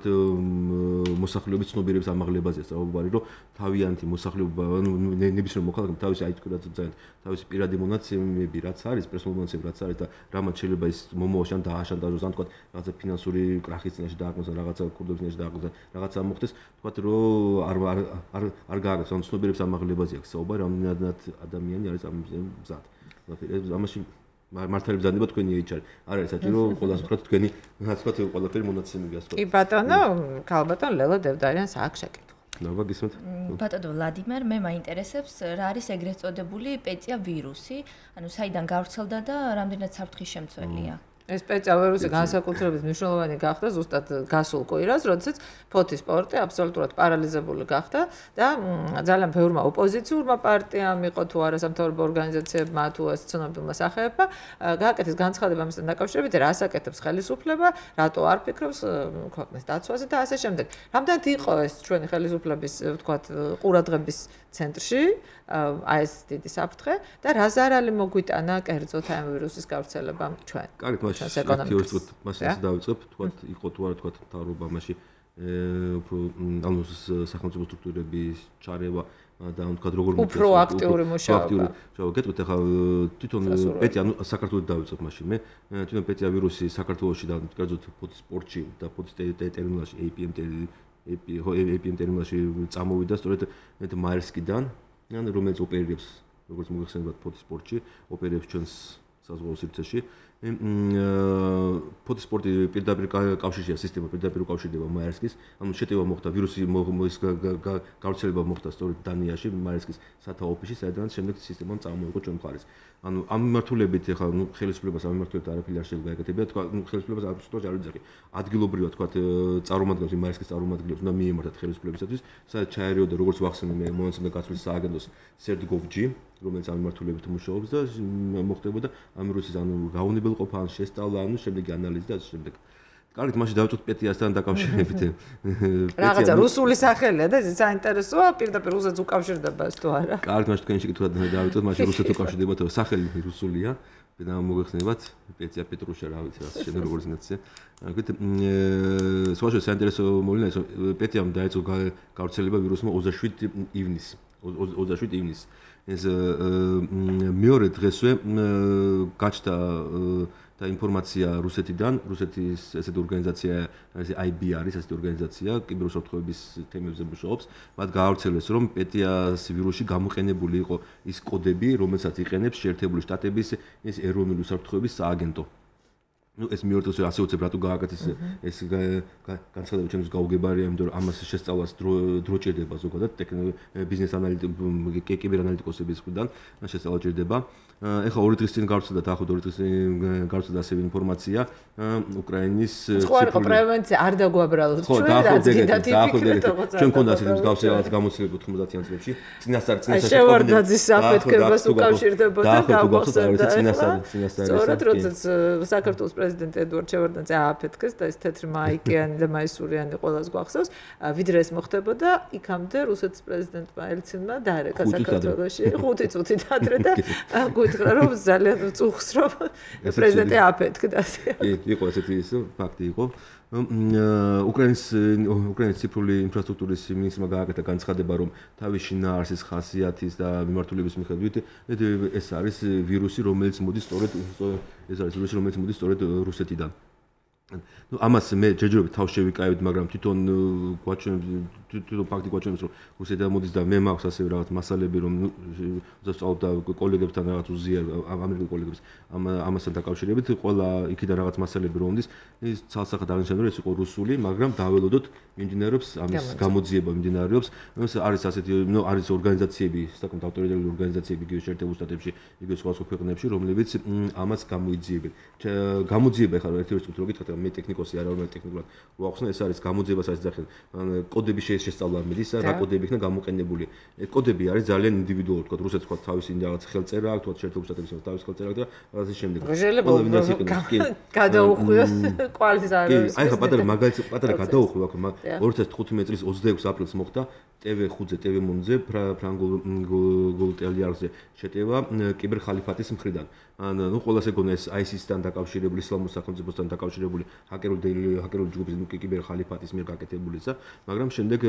მოსახლეობის ცნობიერების ამაღლებაზე სწავლობარი, რომ თავიანთი მოსახლეობა, ანუ ნებისმიერ მოქალაქემ თავისი აი თქვა ძალიან თავისი პირადი მონაცემები რაც არის, პერსონალური მონაცემები რაც არის და რამაც შეიძლება ის მომავალში ან დააშანტაჟოს, ან თქვა რაღაცა ფინანსური კრახის წინაშე დააყენოს, რაღაცა კურდობის წინაშე დააყენოს, რაღაცა მოხდეს, თქვა რომ არ არ არ გააკეთოს, ანუ ცნობიერების ამაღლებაზე აქვს საუბარი, რამდენად ადამიანი არის ამ მზად. ამაში მართალი ბრძანდება თქვენი ეიჩ არ. არ არის საჭირო ყველას ვთქვათ თქვენი რაც ვთქვათ ყველაფერი მონაცემები გასწორებით. კი ბატონო, ქალბატონ ლელა დევდარიანს აქვს შეკითხვა. ნება გისმენთ? ბატონო ვლადიმერ, მე მაინტერესებს რა არის ეგრეთ წოდებული პეწია ვირუსი, ანუ საიდან გავრცელდა და რამდენად საფრთხის შემცველია? ეს პეწა ვირუსი განსაკუთრებით მნიშვნელოვანი გახდა ზუსტად გასულ კვირას, როდესაც ფოთის სპორტი აბსოლუტურად პარალიზებული გახდა და ძალიან ბევრმა ოპოზიციურმა პარტიამ იყო თუ არა სამთავრობო ორგანიზაციებმა თუ ცნობილმა სახეებმა გააკეთეს განცხადება ამასთან დაკავშირებით, რას აკეთებს ხელისუფლება, რატო არ ფიქრობს ქვეყნის დაცვაზე და ასე შემდეგ. რამდენად იყო ეს ჩვენი ხელისუფლების, ვთქვათ, ყურადღების ცენტრში, აი ეს დიდი საფრთხე და რა ზარალი მოგვიტანა კერძოდ ამ ვირუსის გავრცელებამ ჩვენ. კარგი, მაშინ მას ასე დავიწყებ, თქვათ, იყო თუ არა თქვათ მთავრობა მაშინ უფრო ანუ სახელმწიფო სტრუქტურების ჩარევა და თქვათ როგორ უფრო აქტიური მუშაობა. შევ გეტყვით ახლა თვითონ პეტი ანუ საქართველოს დავიწყებ მაშინ მე თვითონ პეტია ვირუსი საქართველოში და კერძოდ ფოთის სპორტში და ფოთის ტერმინალში эй პი ემ эй პი ემ ტერმინალში წამოვიდა სწორედ მაერსკიდან ან რომელიც ოპერირებს როგორც მოგეხსენებათ ფოთის სპორტში ოპერირებს ჩვენს საზღვაო სივრცეში ფოთის სპორტი პირდაპირ კავშირშია სისტემა პირდაპირ უკავშირდება მაერსკის ანუ შეტევა მოხდა ვირუსი გავრცელება მოხდა სწორედ დანიაში მაერსკის სათავო ოფისში საიდანაც შემდეგ სისტემამ წამოიღო ჩვენ მხარეს ანუ ამ მიმართულებით ახლა ნუ ხელისუფლებას ამ მიმართულებით არაფერი არ შეიძლება გაეკეთებინა თქვა ნუ ხელისუფლებას აბსოლუტურად არ ვიძახი ადგილობრივად თქვა წარმომადგენლებს მაერსკის წარმომადგენლებს უნდა მიემართათ ხელისუფლებისათვის სადაც ჩაერიოდა როგორც ვახსენე მე მონაცემთა გაცვლის სააგენტოს CERT.gov.g რომელიც ამ მიმართულებით მუშაობს და მოხდებოდა ამ ვირუსის ანუ გაუნებელყოფა ან შესწავლა ანუ შემდეგი ანალიზი და ასე შემდეგ. კარგით, მაშინ დავწოთ პეტიასთან დაკავშირებით. რაღაცა რუსული სახელია და ეს საინტერესოა, პირდაპირ რუსეთს უკავშირდება ეს თუ არა. კარგით, მაშინ თქვენი შეკითხვა დავწოთ, მაშინ რუსეთს უკავშირდება თუ სახელი რუსულია. და მოგეხსენებათ პეტია პეტრუშა რა ვიცი რა შენ როგორ ზნაცია. კარგით, სხვაშორის საინტერესო მოლინა ეს პეტიამ დაიწყო გავრცელება ვირუსმა ოცდაშვიდი ივნისს. ოცდაშვიდი ივნისს. ეს მეორე დღესვე გაჩნდა და ინფორმაცია რუსეთიდან, რუსეთის ესეთი ორგანიზაცია, აი ბი არის ესეთი ორგანიზაცია, კიბერუსაფრთხოების თემებზე მუშაობს. მათ გაავრცელეს, რომ პეტიას ვირუსში გამოყენებული იყო ის კოდები, რომელსაც იყენებს შეერთებული შტატების ეს ეროვნული უსაფრთხოების სააგენტო. ну ეს მეორე დღეს ასე უცებ რატო გააკეთეს ეს განცხადება ჩემს გაუგებარია იმიტომ რომ ამას შესწავლას დრო ჭირდება ზოგადად ბიზნეს ანალიტიკოსები კიბერ ანალიტიკოსების მხრიდან შესწავლა ჭირდება ეხლა ორი დღის წინ გავრცელდა დაახლოებით ორი დღის წინ გავრცელდა ასევე ინფორმაცია უკრაინის ხო არა პრევენცია არ დაგვაბრალოთ ჩვენ რაც გინდა ტიპიკურად ჩვენ მქონდა ასეთი მსგავსი რაღაც გამოცდილება ოთხმოცდაათიან წლებში წინასწარ წინასწარ შევარდაძის საფეთქებას უკავშირდებოდა გავხსენდა წინასწარ წინასწარ სწორედ როდესაც საქართველოს პრეზიდენტი ედუარდ შევარდნაძე ააფეთქეს და ეს თეთრი მაიკიანი და მაისურიანი ყოველას გვახსოვს ვიდრე ეს მოხდებოდა იქამდე რუსეთის პრეზიდენტმა ელცინმა დაერეკა საქართველოში ხუთი წუთით ადრე და გითხრა რომ ძალიან უწუხს რომ პრეზიდენტი ააფეთქდა კი იყო ესეთი ფაქტი იყო უკრაინის უკრაინის ციფრული ინფრასტრუქტურის მინისტრმა გააკეთა განცხადება რომ თავის შინაარსის ხასიათის და მიმართულების მიხედვით ეს არის ვირუსი რომელიც მოდის სწორედ ეს არის ვირუსი რომელიც მოდის სწორედ რუსეთიდან ну ამას მე ჯერჯერობით თავს შევიკავებთ მაგრამ თვითონ გვაჩვენებს თვითონ ფაქტი გვაჩვენებს რომ რუსეთიდან მოდის და მე მაქვს ასევე რაღაც მასალები რომ ზუსტად კოლეგებთან რაღაც უზიარ ამერიკელ კოლეგებს ამ ამასთან დაკავშირებით ყველა იქიდან რაღაც მასალები რომ მოდის ის ცალსახად აღნიშნავენ რომ ეს იყო რუსული მაგრამ დაველოდოთ მიმდინარეობს ამის გამოძიება მიმდინარეობს ეს არის ასეთი ნუ არის ორგანიზაციები საკუთარ ავტორიტეტული ორგანიზაციები იგივე შეერთებულ შტატებში იგივე სხვა სხვა ქვეყნებში რომლებიც ამას გამოიძიებენ გამოძიება ხარ ერთი რიცხვით რო გითხრათ მე ტექნიკოსი არა ვარ ტექნიკურად ვახსნე ეს არის გამოძიებას არის ძახენ კოდები შესწავლა მიდის რა კოდები იქნა გამოყენებული ეს კოდები არის ძალიან ინდივიდუალური თქვა რუსეთს თქვა თავისი რაღაც ხელწერა აქვს თქვა შეერთებულ შტატების თავის ხელწერა და ასე შემდეგ შეიძლება გადაუხვიოს კვალის არის აი ხა პატარა მაგალითი პატარა გადაუხვი აქ ორი ათას თხუთმეტი წლის ოცდაექვსი აპრილს მოხდა ტევ ხუთზე ტევ მონზე ფრანგულ გოლტელიარზე შეტევა კიბერ ხალიფატის მხრიდან ან ნუ ყველას ეგონა ეს აისისთან დაკავშირებული ისლამურ სახელმწიფოსთან დაკავშირებული ჰაკერული ჰაკერული ჯგუფის ნუ კიბერ ხალიფატის მიერ გაკეთებულისა მაგრამ შემდეგ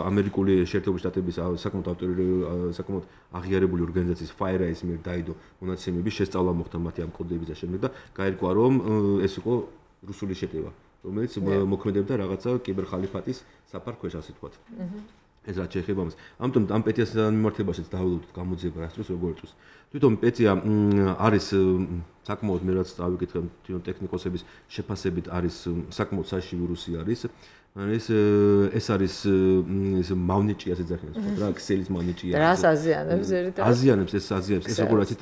ამერიკული შეერთებული შტატების საკმაოდ ავტორიტეტული საკმაოდ აღიარებული ორგანიზაციის FireEye-ის მიერ დაიდო მონაცემები შესწავლა მოხდა მათი ამ კოდების და შემდეგ და გაირკვა რომ ეს იყო რუსული შეტევა რომელიც მოქმედებდა რაღაცა კიბერ ხალიფატის საფარქვეშ ასე ვთქვათ ეს რაც შეეხება ამას. ამიტომ ამ პეტიას მიმართებაშიც დაველოდოთ გამოძიება რა თქოს როგორ იწვევს. თვითონ პეტია არის საკმაოდ მე რაც წავიკითხე თვითონ ტექნიკოსების შეფასებით არის საკმაოდ საშიში ვირუსი არის. ეს ეს არის ეს მავნიჭი ასე ძახიან რა ქსელის მავნიჭია. რას აზიანებს ერთად? აზიანებს ეს აზიანებს ეს როგორ აცით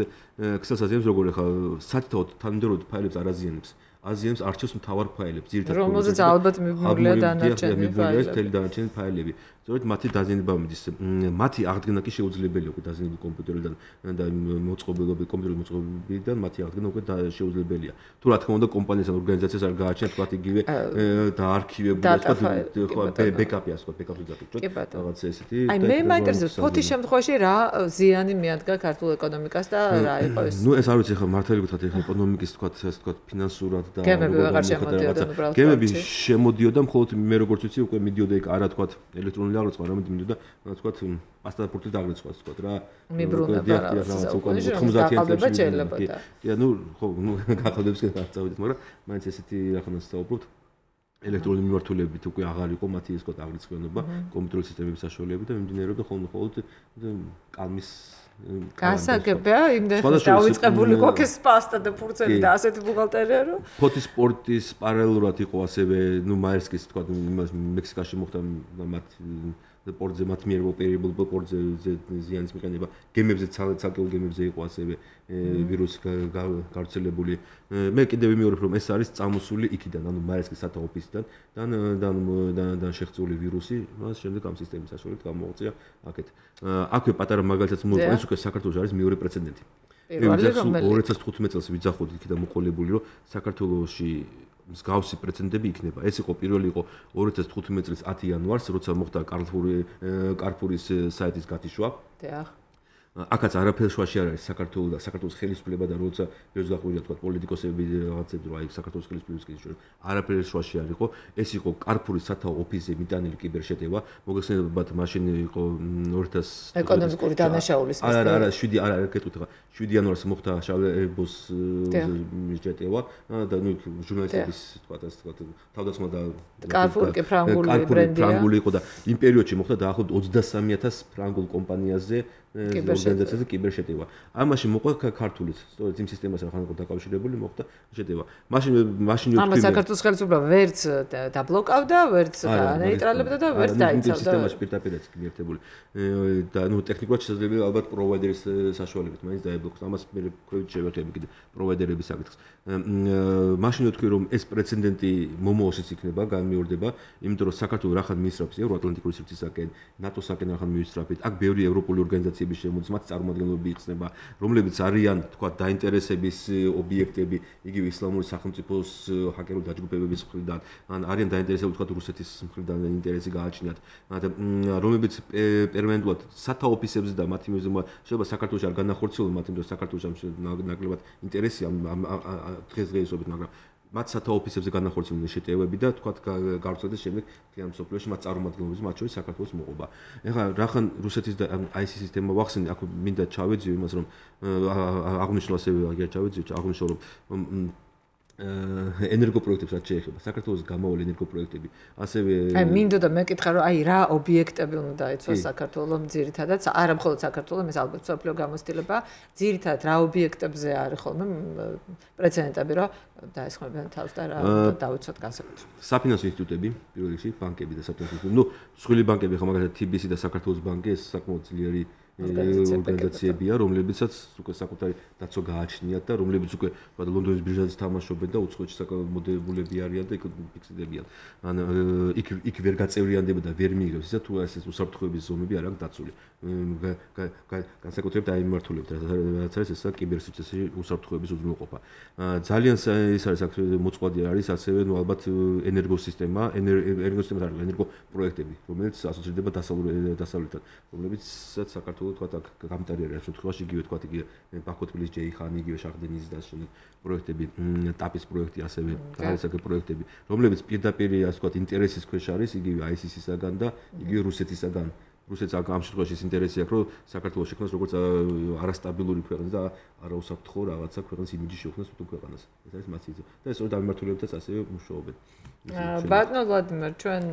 ქსელს აზიანებს როგორ ხა სათითაოდ თანმიმდევრულად ფაილებს არ აზიანებს. აზიანებს არჩევს მთავარ ფაილებს, ძირითადად რომელზეც ალბათ მიბმულია დანარჩენი ფაილები. თელი დანარჩენი ფაილები. სწორედ მათი დაზიანება მიდის. მათი აღდგენა კი შეუძლებელია უკვე დაზიანებული კომპიუტერიდან და მოწყობილობით კომპიუტერის მოწყობილობიდან მათი აღდგენა უკვე შეუძლებელია. თუ რა თქმა უნდა კომპანიას ან ორგანიზაციას არ გააჩნიათ თქვა იგივე დაარქივებული თქვა ბეკაპი ასე თქვა ბეკაპი დაკეთოთ. რაღაც ესეთი. აი მე მაინტერესებს ფოთის შემთხვევაში რა ზიანი მიადგა ქართულ ეკონომიკას და რა იყო ეს? ნუ ეს არ ვიცი ხა მართალი გითხრათ ეხლა ეკონომიკის თქვა ასე თქვა ფინანსურად და გემები აღარ შემოდიოდა უბრალოდ. გემები შემოდიოდა მხოლოდ მე როგორც ვიცი უკვე მიდიოდა იქ არა თქვა ელექტრონული აღრიცხვა რამე მიდიოდა თქვა პასტაპორტით აღრიცხვას თქვა რა მიბრუნება რაღაც უკვე ხმზათიანში შეიძლება. კი ანუ ხო ნუ გახადებს კი არ წავიდეთ მაგრამ მაინც ესეთი რაღაცას საუბრობთ. ელექტრონული მიმართულებით უკვე აღარ იყო მათი ეს თქვა აღრიცხვიანობა კომპიუტერული სისტემების საშუალებებით და მიმდინარეობდა ხოლმე მხოლოდ კალმის გასაგებია იმდენ დავიწყებული გოქეს პასტა და ფურცელი და ასეთი ბუღალტერია რომ ფოთის სპორტის პარალელურად იყო ასევე ნუ მაერსკის თქვა მექსიკაში მოხდა მათ პორტზე მათ მიერ ოპერირებულ პორტზე ზიანის მიყენება გემებზე ცალკეულ გემებზე იყო ასევე ვირუსი გავრცელებული მე კიდევ ვიმეორებ რომ ეს არის წამოსული იქიდან ანუ მაერსკის სათა ოფისიდან და და შეხწეული ვირუსი მას შემდეგ ამ სისტემის საშუალებით გამოუწია აქეთ აქვე პატარა მაგალითად მოიყვანს უკვე საქართველოს არის მეორე პრეცედენტი ორი ათას თხუთმეტ წელს ვიძახოთ იქიდან მოყოლებული რომ საქართველოში მსგავსი პრეცედენტები იქნება. ეს იყო პირველი იყო ორი ათას თხუთმეტ წლის ათი იანვარს, როცა მოხდა კარფური კარფურის საიტის გათიშვა. დიახ. აქაც არაფერ შუაში არ არის საქართველოს და საქართველოს ხელისუფლება და როცა ეს გაყვირდა თქვა პოლიტიკოსები რაღაცები რა იქ საქართველოს ხელისუფლების კავშირი არაფერ შუაში არ იყო. ეს იყო კარფურის სათა ოფისზე მიტანილი კიბერშეტევა. მოგეხსენებათ მაშინ იყო ორი ათას ეკონომიკური დანაშაულის არა არა არა შვიდი არა არ გეტყვით შვიდი იანვარს მოხდა შავებოს შეტევა და ნუ ჟურნალისტების თქვა ასე თქვა თავდასხმა და კარფური კი ფრანგული ბრენდია. ფრანგული იყო და იმ პერიოდში მოხდა დაახლოებით ოცდასამი ათას ფრანგულ კომპანიაზე ორგანიზაციაზე კიბერშეტევა. ამაში მოყვა ქართულიც, სწორედ იმ სისტემას რახან იყო დაკავშირებული, მოხდა შეტევა. მაშინ მაშინ ვთქვი ამას საქართველოს ხელისუფლება ვერც დაბლოკავდა, ვერც განეიტრალებდა და ვერც დაიცავდა. სისტემაში პირდაპირაც მიერთებული. და ნუ ტექნიკურად შესაძლებელია ალბათ პროვაიდერის საშუალებით მაინც დაებლოკოს. ამას მე ქვევით შევერთები კიდე პროვაიდერების საკითხს. მაშინ ვთქვი რომ ეს პრეცედენტი მომავალშიც იქნება, განმეორდება, იმიტომ რომ საქართველოს რახან მიისწრაფს ევროატლანტიკური სივრცისაკენ, ნატოსაკენ რახან მიისწრაფით. აქ ბევრი ევროპული ორგანიზაცია შემოდის მათ წარმომადგენლობები იხსნება, რომლებიც არიან, თქვა, დაინტერესების ობიექტები, იგივე ისლამური სახელმწიფოს ჰაკერული დაჯგუფებების მხრიდან, ან არიან დაინტერესებული, თქვა, რუსეთის მხრიდან ინტერესი გააჩნიათ, რომლებიც პერმანენტულად სათა ოფისებზე და მათი მიზნობა შეიძლება საქართველოს არ განახორციელონ, მათ იმდროს საქართველოს ნაკლებად ინტერესი ამ დღესდღეობით, მაგრამ მათ სათა ოფისებზე განახორციელონ შეტევები და თქვა გავრცელდეს შემდეგ მთლიან მსოფლიოში მათ წარმომადგენლობებს მათ შორის საქართველოს მოყობა. ეხლა რახან რუსეთის და აი სი სისტემა ვახსენე, აქ მინდა ჩავეძიო იმას რომ აღნიშნულ ასევე აგერ ჩავეძიო, აღნიშნულ რომ ენერგოპროექტებს რაც შეეხება საქართველოს გამავალი ენერგოპროექტები ასევე აი მინდოდა მეკითხა რომ აი რა ობიექტები უნდა დაიცვას საქართველოს ძირითადად არა მხოლოდ საქართველოს ეს ალბათ სოფლიო გამოცდილება ძირითადად რა ობიექტებზე არის ხოლმე პრეცედენტები რომ დაესხმებიან თავს და რა დავიცვათ განსაკუთრებით საფინანსო ინსტიტუტები პირველ რიგში ბანკები და საფინანსო ინსტიტუტები ნუ სხვილი ბანკები ხო მაგალითად თი ბი სი და საქართველოს ბანკი ეს საკმაოდ ძლიერი ორგანიზაციებია, რომლებიცაც უკვე საკუთარი დაცვა გააჩნიათ და რომლებიც უკვე თქვა ლონდონის ბირჟაზე თამაშობენ და უცხოეთში საკმაოდებულები არიან და იქ ფიქსდებიან. ან იქ იქ ვერ გაწევრიანდება და ვერ მიიღებს ისა თუ ეს უსაფრთხოების ზომები არ აქვს დაცული. განსაკუთრებით აი მიმართულებთ რაც არის ესა კიბერსიცეცი უსაფრთხოების უზრუნველყოფა. ძალიან ის არის აქ მოწყვლადი არის ასევე ნუ ალბათ ენერგოსისტემა, ენერგოსისტემა არის ენერგოპროექტები, რომელიც ასოცირდება დასავლეთთან, რომლებიცაც საქართველოს თქვა გამტარი არის შემთხვევაში იგივე თქვა იგივე ბაქო-თბილისი ჯეიხანი იგივე შახდენის და შემდეგ პროექტები ტაპის პროექტი ასევე გარესაკე პროექტები რომლებიც პირდაპირ ასე თქვა ინტერესის ქვეშ არის იგივე აი სი სისაგან და იგივე რუსეთისაგან რუსეთს ამ შემთხვევაში ის ინტერესი აქვს რომ საქართველოს შექმნას როგორც არასტაბილური ქვეყანა და არაუსაფრთხო რაღაცა ქვეყნის იმიჯი შექმნას თუ ქვეყანას ეს არის მათი იზო და ეს სწორედ ამ მიმართულებითაც ასევე მუშაობენ ბატონო ვლადიმერ ჩვენ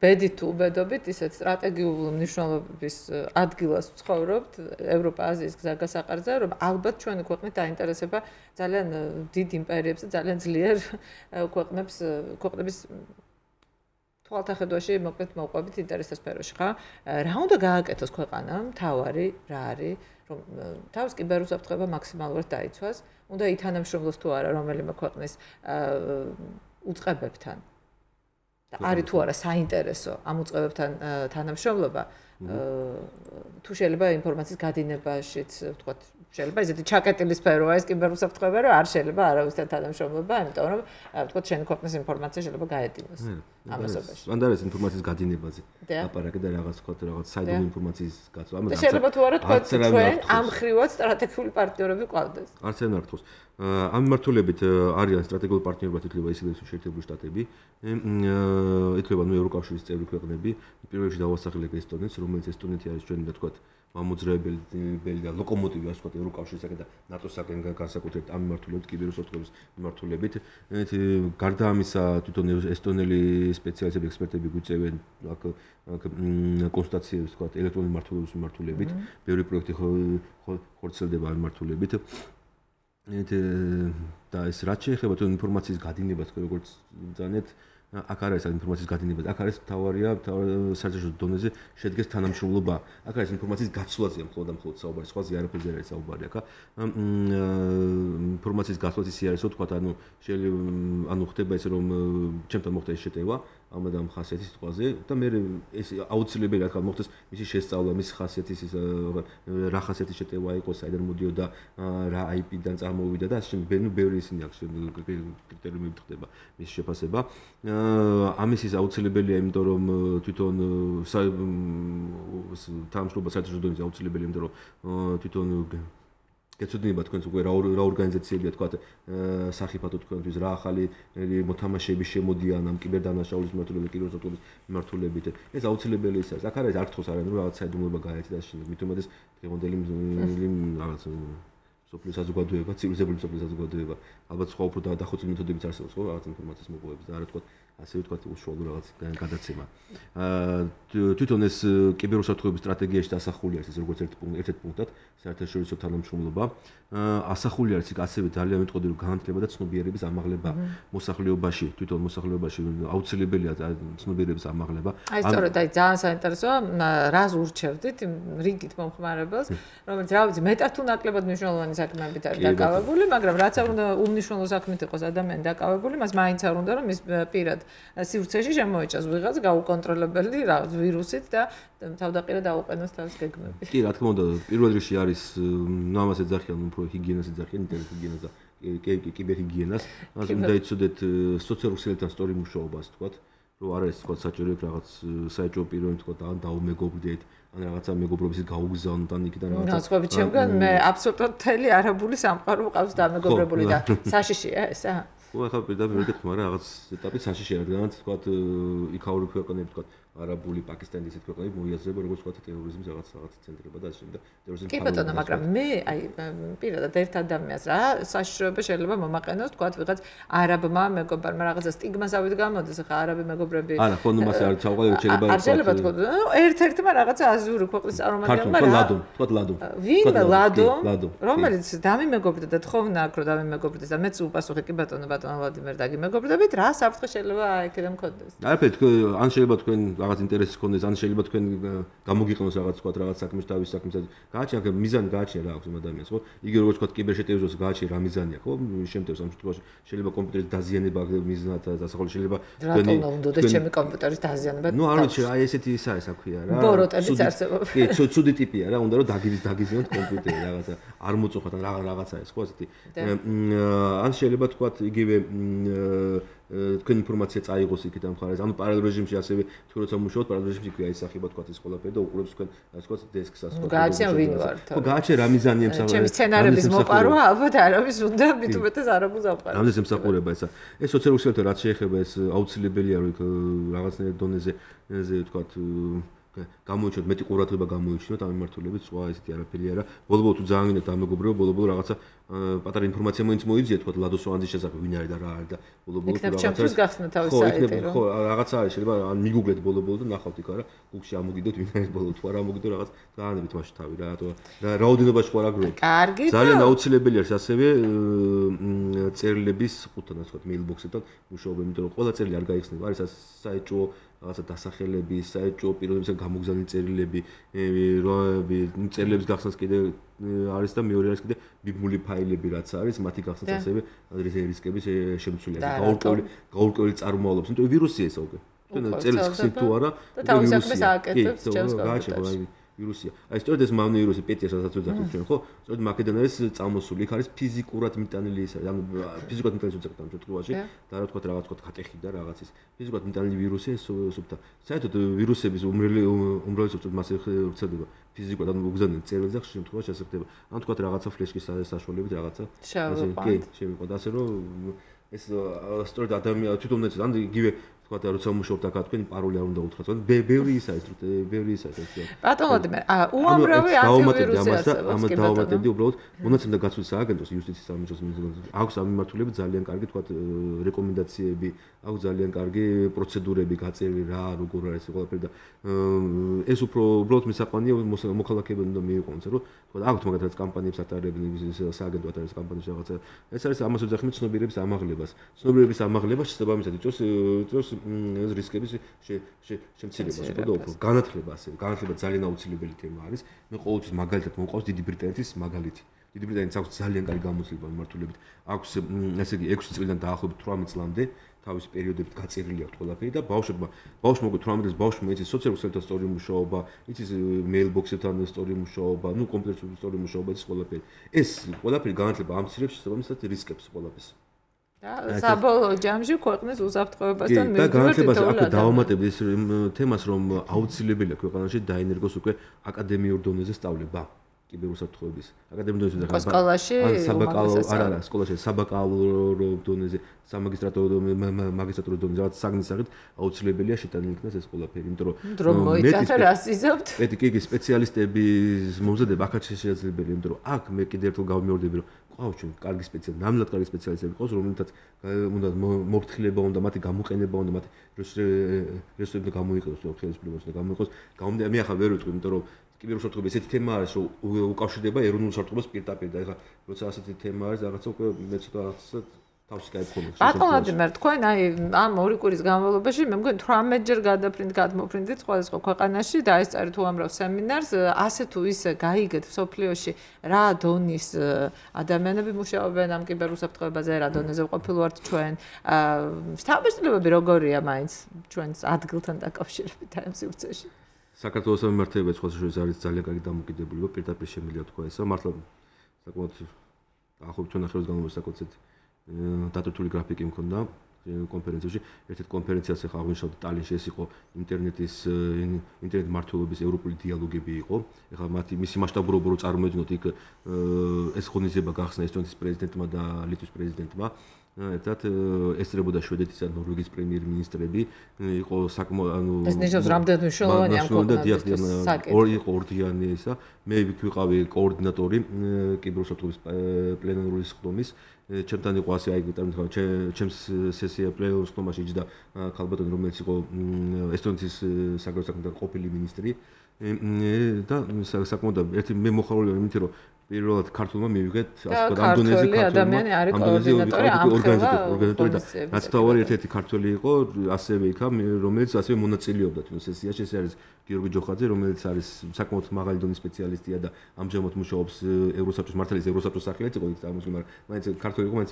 ბედით უბედობით ისეთ სტრატეგიული მნიშვნელობის ადგილას ვცხოვრობთ ევროპა-აზიის გზაგასაყარზე რომ ალბათ ჩვენი ქვეყნით დაინტერესება ძალიან დიდ იმპერიებს და ძალიან ძლიერ ქვეყნებს ქვეყნების თვალთახედვაში მოკლედ მოვყვებით ინტერესთა სფეროში ხა რა უნდა გააკეთოს ქვეყანამ თავარი რა არის რომ თავს კიბერუსაფრთხოება მაქსიმალურად დაიცვას უნდა ითანამშრომლოს თუ არა რომელიმე ქვეყნის უწყებებთან და არის თუ არა საინტერესო ამ უწყებებთან თანამშრომლობა თუ შეიძლება ინფორმაციის გადინებაშიც ვთქვათ შეიძლება ისეთი ჩაკეტილი სფეროა ეს კიბერუსაფრთხოება რომ არ შეიძლება არავისთან თანამშრომლობა იმიტომ რომ ვთქვათ შენი ქვეყნის ინფორმაცია შეიძლება გაედინოს ამასობაში მანდ არის ინფორმაციის გადინებაზე აპარაკი და რაღაც ვთქვათ რაღაც საიდუმლო ინფორმაციის გაცვლა ამაზე შეიძლება თუ არა თქვენ ჩვენ ამ ხრივად სტრატეგიული პარტნიორები ყავდეს არც არ მართავს ამ მიმართულებით არიან სტრატეგიული პარტნიორებად ითვლება ისედაც შეერთებული შტატები ითვლება ნუ ევროკავშირის წევრი ქვეყნები პირველ რიგში დავასახელებ ესტონეთს რომელიც ესტონეთი არის ჩვენი და თქვათ მამოძრავებელი და ლოკომოტივი ასე ვთქვათ ევროკავშირისაგან და ნატოსაგან განსაკუთრებით ამ მიმართულებით კიბერუსაფრთხოების მიმართულებით გარდა ამისა თვითონ ესტონელი სპეციალისტები ექსპერტები გვიწევენ აქ კონსტატაციებს ვთქვათ ელექტრონული მმართველობის მიმართულებით ბევრი პროექტი ხორციელდება ამ მიმართულებით და ეს რაც შეეხება თუ ინფორმაციის გადინებას როგორც ბრძანეთ აქ არის ინფორმაციის გადინება აქ არის თავარია საერთაშორისო დონეზე შედგეს თანამშრომლობა აქ არის ინფორმაციის გაცვლაზე მხოლოდ და მხოლოდ საუბარი სხვა ზიარაფერზე არის საუბარი აქ ინფორმაციის გაცვლაზე ისე არის რომ თქვა ანუ შეიძლება ანუ ხდება ისე რომ ჩემთან მოხდა ეს შეტევა ამ და ამ ხასიათის სიტყვაზე და მე ეს აუცილებელია თქვა მოხდეს მისი შესწავლა მის ხასიათის რა ხასიათის შეტევა იყო საიდან მოდიოდა რა აი პი-დან წარმოვიდა და ასე ბენუ ბევრი ისინი აქვს კრიტერიუმები ხდება მის შეფასება ამის ის აუცილებელია იმიტომ რომ თვითონ თანამშრომლობა საერთაშორისო დონეზე აუცილებელია იმიტომ რომ თვითონ გეცოდინება თქვენს უკვე რა ორგანიზაციებია თქვა სახიფათო თქვენთვის რა ახალი მოთამაშეები შემოდიან ამ კიბერდანაშაულის მიმართულებით კიბერუსაფრთხოების მიმართულებით ეს აუცილებელი ის არის აქ არის არ გთხოვს არანაირი რაღაც საიდუმლოება გაერთი და შენ მით უმეტეს დღევანდელი რაღაც სოფლის საზოგადოება ცივილიზებული სოფლის საზოგადოება ალბათ სხვა უფრო დახოცილი მეთოდებიც არსებობს ხო რაღაც ინფორმაციის მოპოვების და არა თქვა ასე ვთქვათ უშუალო რაღაც გადაცემა თვითონ ეს კიბერუსაფრთხოების სტრატეგიაში დასახული არის ეს როგორც ერთ პუნქტ ერთ-ერთ პუნქტად საერთაშორისო თანამშრომლობა ასახული არის იქ ასევე ძალიან მეტყოდი რომ განათლება და ცნობიერების ამაღლება მოსახლეობაში თვითონ მოსახლეობაში აუცილებელია ცნობიერების ამაღლება აი სწორედ აი ძალიან საინტერესოა რას ურჩევდით რიგით მომხმარებელს რომელიც რა ვიცი მეტად თუ ნაკლებად მნიშვნელოვანი საქმეებით არის დაკავებული მაგრამ რაც არ უნდა უმნიშვნელო საქმით იყოს ადამიანი დაკავებული მას მაინც არ უნდა რომ ის პირად სივრცეში შემოეჭას ვიღაც გაუკონტროლებელი რაღაც ვირუსით და თავდაყირა დაუყენოს თავის გეგმები. კი, რა თქმა უნდა, პირველ რიგში არის ამას ეძახიან უფრო ჰიგიენას ეძახიან, ინტერნეტ ჰიგიენას და კიბერჰიგიენას, მას უნდა იცოდეთ სოციალურ ქსელებთან სწორი მუშაობას, თქვათ, რომ არ არის თქვათ საჭირო რაღაც საეჭვო პიროვნები თქვათ ან დაუმეგობრდეთ, ან რაღაცა მეგობრობის გაუგზავნოთ ან იქიდან რაღაცა. ნაცვლად ჩემგან მე აბსოლუტურად მთელი არაბული სამყარო მყავს დამეგობრებული და საშიშია ესა. ხო, ახლა პირდაპირ ვეკითხე, მაგრამ რაღაც ეტაპით საშიშია, რადგანაც თქვათ იქაური ქვეყნები თქვათ არაბული, პაკისტანის ისეთ ქვეყნები მოიაზრება როგორც თქვათ ტერორიზმის რაღაც რაღაც ცენტრება და ასე შემდეგ. ტერორიზმის კი ბატონო, მაგრამ მე აი პირადად ერთ ადამიანს რა საშიშროება შეიძლება მომაყენოს თქვათ ვიღაც არაბმა მეგობრმა რაღაცა სტიგმას ავით გამოდეს, ახლა არაბი მეგობრები არა, ხო, ნუ მას არ ჩავყალიბ შეიძლება არ შეიძლება თქვათ, ნუ ერთ-ერთმა რაღაცა აზიური ქვეყნის წარმომადგენელმა რა ლადო, თქვათ ლადო. ვინ ლადო, რომელიც დამიმეგობრდა და თხოვნა აქ რომ დამიმეგობრდეს და მეც უპასუხე კი ბატონო, ბატონო ვლადიმერ დაგიმეგობრდებით, რა საფრთხე შეიძლება აქედან მქონდეს? არაფერი, ან შეიძლება თქვენ რაღაც ინტერესი გქონდეს, ან შეიძლება თქვენ გამოგიყნოს რაღაც თქვა რაღაც საქმეში თავის საქმეში. გააჩნია, მიზანი გააჩნია რა აქვს ამ ადამიანს, ხო? იგი როგორც თქვა კიბერშეტევებს გააჩნია რა მიზანია, ხო? შემთხვევაში ამ შემთხვევაში შეიძლება კომპიუტერის დაზიანება მიზნად დასახული შეიძლება თქვენი რატომ უნდა ჩემი კომპიუტერის დაზიანება? ნუ არ ვიცი, აი ესეთი ისა ეს აქვია რა. ბოროტებიც არსებობს. კი, ცუდი ტიპია რა, უნდა რომ დაგიზ დაგიზიოთ კომპიუტერი რაღაცა. არ მოწოხათ ან რაღაცა ეს, ხო, ასეთი. ან შეიძლება თქვა იგივე თქვენ ინფორმაცია წაიღოს იქით ამ ხარეს. ანუ პარალელ რეჟიმში ასევე თუ როცა მუშაობთ პარალელ რეჟიმში კი აისახება თქვა ეს ყველაფერი და უყურებს თქვენ ასე თქვა დესკს ასე თქვა. გააჩნია ვინ ვარ თორე. ხო, გააჩნია რა მიზანია მსახურება. ჩემი სცენარების მოპარვა ალბათ არავის უნდა მით უმეტეს არაბულს ამყარებს. რამდენს ემსახურება ესა. ეს სოციალურ ქსელებთან რაც შეეხება ეს აუცილებელია რომ იქ რაღაცნაირ დონეზე ზე თქვა გამოიჩინოთ მეტი ყურადღება გამოიჩინოთ ამ მიმართულებით სხვა ესეთი არაფერი არა. ბოლო-ბოლო თუ ძალიან გინდათ დამეგობრება, ბოლო-ბოლო რაღაცა პატარა ინფორმაცია მოინც მოიძიეთ, თქვა ლადოს ვანძის შესახებ, ვინ არის და რა არის და ბოლო-ბოლო რაღაცა. ჩემთვის გახსნა თავის საიტი რომ. ხო, რაღაცა არის, შეიძლება ან მიგუგლეთ ბოლო-ბოლო და ნახავთ იქ არა, გუგლში ამოგიდოთ ვინ არის ბოლო, თუ არ ამოგიდო რაღაც გაანებით მაშინ თავი რა, რატო რა რაოდენობაში ყურადღება. კარგი. ძალიან აუცილებელი არის ასევე წერილების ხუთთან ასე ვთქვათ mailbox-თან მუშაობ, იმიტომ რომ ყველა წერილი არ გაიხსნება, არის საეჭვო რაღაცა დასახელები, საეჭვო პიროვნებისგან გამოგზავნილი წერილები, როები, წერილების გახსნას კიდე არის და მეორე არის კიდე ბიბმული ფაილები რაც არის, მათი გახსნას ასევე რისკების შემცვლელი არის. გაურკვეველი გაურკვეველი წარმომავლობის, იმიტომ რომ ვირუსია ეს უკვე. წერილს ხსნით თუ არა, თავის საქმეს ააკეთებს ჩემს კომპიუტერში. ვირუსია. აი სწორედ ეს მავნე ვირუსი პეტია სადაც ვეძახით ჩვენ, ხო? სწორედ მაკედან არის წამოსული, იქ არის ფიზიკურად მიტანილი ის არის. ანუ ფიზიკურად მიტანილი უწევთ ამ შემთხვევაში და რა თქვათ რაღაც თქვათ ხატეხი და რაღაცის. ფიზიკურად მიტანილი ვირუსი ეს სუბთა. საერთოდ ვირუსების უმრავლე უმრავლესობა მასე ვრცელდება ფიზიკურად, ანუ უგზავნენ წერილზე ხშირ შემთხვევაში ასე ხდება. ანუ თქვათ რაღაცა ფლეშკის საშუალებით რაღაცა. ასე კი, შევიყვანთ ასე რომ ეს სწორედ ადამიანი თვითონაც ან იგივე თქვათ როცა მუშაობთ აქ თქვენი პაროლი არ უნდა უთხრათ. ბევრი ისა ის ბევრი ისა ეს. ბატონ ვადიმერ, აა უამრავი ანტივირუსი არის. ამას დავამატებდი უბრალოდ მონაცემთა გაცვლის სააგენტოს იუსტიციის სამინისტროს მინისტრს აქვს ამ მიმართულებით ძალიან კარგი თქვათ რეკომენდაციები, აქვს ძალიან კარგი პროცედურები გაწერილი რა, როგორ არის ყველაფერი და ეს უფრო უბრალოდ მისაყვანია მოქალაქეებმა უნდა მიიყვანოს, რომ თქვათ აქვს მაგათაც კამპანიებს ატარებენ სააგენტო ატარებს კამპანიებს რაღაცა. ეს არის ამას ვეძახით ცნობიერების ამაღლებას. ცნობიერების ამაღლება შესაბამისად იწვევს იწვევს ეს რისკების შემცირებას, უფრო და უფრო განათლება ასე. განათლება ძალიან აუცილებელი თემა არის. მე ყოველთვის მაგალითად მომყავს დიდი ბრიტანეთის მაგალითი. დიდი ბრიტანეთის აქვს ძალიან კარგი გამოცდილება მიმართულებით. აქვს ესე იგი ექვსი წლიდან დაახლოებით თვრამეტ წლამდე თავის პერიოდებით გაწერილი აქვს ყველაფერი და ბავშვებმა ბავშვმა უკვე თვრამეტ წელს ბავშვმა იცის სოციალურ ქსელთან სწორი მუშაობა, იცის mailbox-ებთან სწორი მუშაობა, ну კომპიუტერთან სწორი მუშაობა, ეს ყველაფერი. ეს ყველაფერი განათლება ამცირებს შესაბამისად რისკებს ყველაფერს. და საბოლოო ჯამში ქვეყნის უსაფრთხოებასთან მივიდივართ. და განათლებას აქ დავამატებდი ეს თემას, რომ აუცილებელია ქვეყანაში დაინერგოს უკვე აკადემიურ დონეზე სწავლება. კიბერუსაფრთხოების აკადემიურ დონეზე და სკოლაში საბაკალავრო არა არა სკოლაში საბაკალავრო დონეზე სამაგისტრატურო მაგისტრატურის დონეზე რაც საგნის სახით აუცილებელია შეტანილი იქნას ეს ყველაფერი იმიტომ რომ მოიტანა რას იზობთ პეტი კი სპეციალისტების მომზადება აქაც შესაძლებელია იმიტომ რომ აქ მე კიდევ ერთხელ გავიმეორდები რომ ყავს ჩვენ კარგი სპეციალისტები ნამდვილად კარგი სპეციალისტები ყავს რომელთაც უნდა მოფრთხილება უნდა მათი გამოყენება უნდა მათი რესურსები გამოიყენოს ხელისუფლებას უნდა გამოიყენოს გამომდინარე მე ახლა ვერ ვიტყვი იმიტომ რომ კიბერუსაფრთხოება ესეთი თემა არის რომ უკავშირდება ეროვნულ საფრთხობას პირდაპირ და ეხლა როცა ასეთი თემა არის რაღაცა უკვე მე ცოტა თავში გაიფრთხილებ ბატონ ვადიმერ თქვენ აი ამ ორი კვირის განმავლობაში მე მგონი თვრამეტ ჯერ გადაფრინდ გადმოფრინდით სხვადასხვა ქვეყანაში და ესწარით უამრავ სემინარს ასე თუ ისე გაიგეთ სოფლიოში რა დონის ადამიანები მუშაობენ ამ კიბერუსაფრთხოებაზე რა დონეზე ყოფილვართ ჩვენ შთაბეჭდილებები როგორია მაინც ჩვენს ადგილთან დაკავშირებით აი ამ სივრცეში საქართველოს სამმართველოება სხვადასხვა არის ძალიან კარგი დამოკიდებულება პირდაპირ შემიძლია თქვა ესა მართლა საკმაოდ ახლა ჩვენ ახალ განმავლობაში საკუთრებით დატვირთული გრაფიკი მქონდა კონფერენციაში ერთ-ერთ კონფერენციას ახლა აღნიშნავთ ტალინში ეს იყო ინტერნეტის ინტერნეტ მართლობის ევროპული დიალოგები იყო ახლა მათი მისი მასშტაბურობა რო წარმოვიდგინოთ იქ ეს ღონისძიება გახსნა ესტონეთის პრეზიდენტმა და ლიტვის პრეზიდენტმა ერთად ესწრებოდა შვედეთის და ნორვეგიის პრემიერ-მინისტრები იყო საკმაოდ ანუ ეს ნიშნავს რამდენად მნიშვნელოვანია ამ ქვეყნისთვის ორი იყო ორდიანი ისა მე ვიყავი კოორდინატორი კიბერუსაფრთხოების პლენარული სხდომის ჩემთან იყო ასე აი წარმოგიდგენთ ჩემს სესია პლენარულ სხდომაში იჯდა ქალბატონი რომელიც იყო ესტონეთის საგარეო საქმეთა ყოფილი მინისტრი და საკმაოდ ერთი მე მოხარული ვარ იმით რომ პირველად ქართულმა მივიღეთ ასე ვთქვათ ამ დონეზე ქართულმა ამ დონეზე ორგანიზატორი და რაც თავარი ერთ-ერთი ქართველი იყო ასევე იქა რომელიც ასევე მონაწილეობდა თუნდაც სესიაში ეს არის გიორგი ჯოხაძე რომელიც არის საკმაოდ მაღალი დონის სპეციალისტია და ამჟამად მუშაობს ევროსაბჭოს მართლის ევროსაბჭოს სახელით იყო იქ წარმოსული მაგრამ მაინც ქართველი იყო მაინც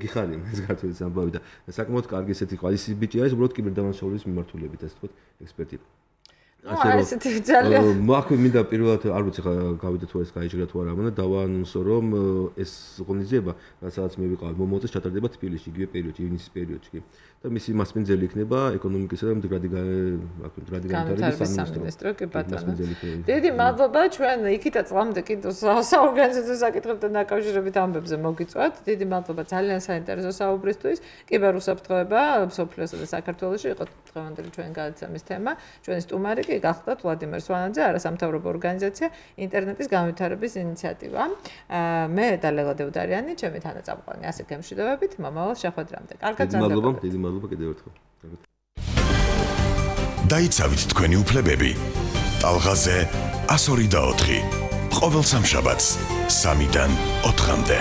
გიხარია ეს ქართველის ამბავი და საკმაოდ კარგი ესეთი ყავის ბიჭი არის უბრალოდ კიბერდანაშაულების მიმართულებით ასე ვთქვათ ექსპერტი ასე რომ ძალიან მაქვს მინდა პირველად არ ვიცი ხა გავიდა თუ ეს გაიჭირა თუ არა მაგრამ დავაანონსო რომ ეს ღონისძიება სადაც მე ვიყავ მომოწეს ჩატარდება თბილისში იგივე პერიოდში ივნისის პერიოდში და მისი მასპინძელი იქნება ეკონომიკისა და მდგრადი აქ მდგრადი განვითარების სამინისტრო კი ბატონო დიდი მადლობა ჩვენ იქითა წლამდე კიდევ საორგანიზაციო საკითხებთან დაკავშირებით ამბებზე მოგიწვევთ დიდი მადლობა ძალიან საინტერესო საუბრისთვის კიბერუსაფრთხოება სოფლიოსა და საქართველოში იყო დღევანდელი ჩვენი გადაცემის თემა ჩვენი სტუმარი კი გახდათ ვლადიმერ სვანაძე არასამთავრობო ორგანიზაცია ინტერნეტის განვითარების ინიციატივა მე და ლელა დევდარიანი ჩემი თანაწამყვანი ასე გემშვიდობებით მომავალ შეხვედრამდე კარგად მადლობა დიდი მადლობა კიდევ ერთხელ დაიცავით თქვენი უფლებები ტალღაზე ასორი და ოთხი ყოველ სამშაბათს სამიდან ოთხამდე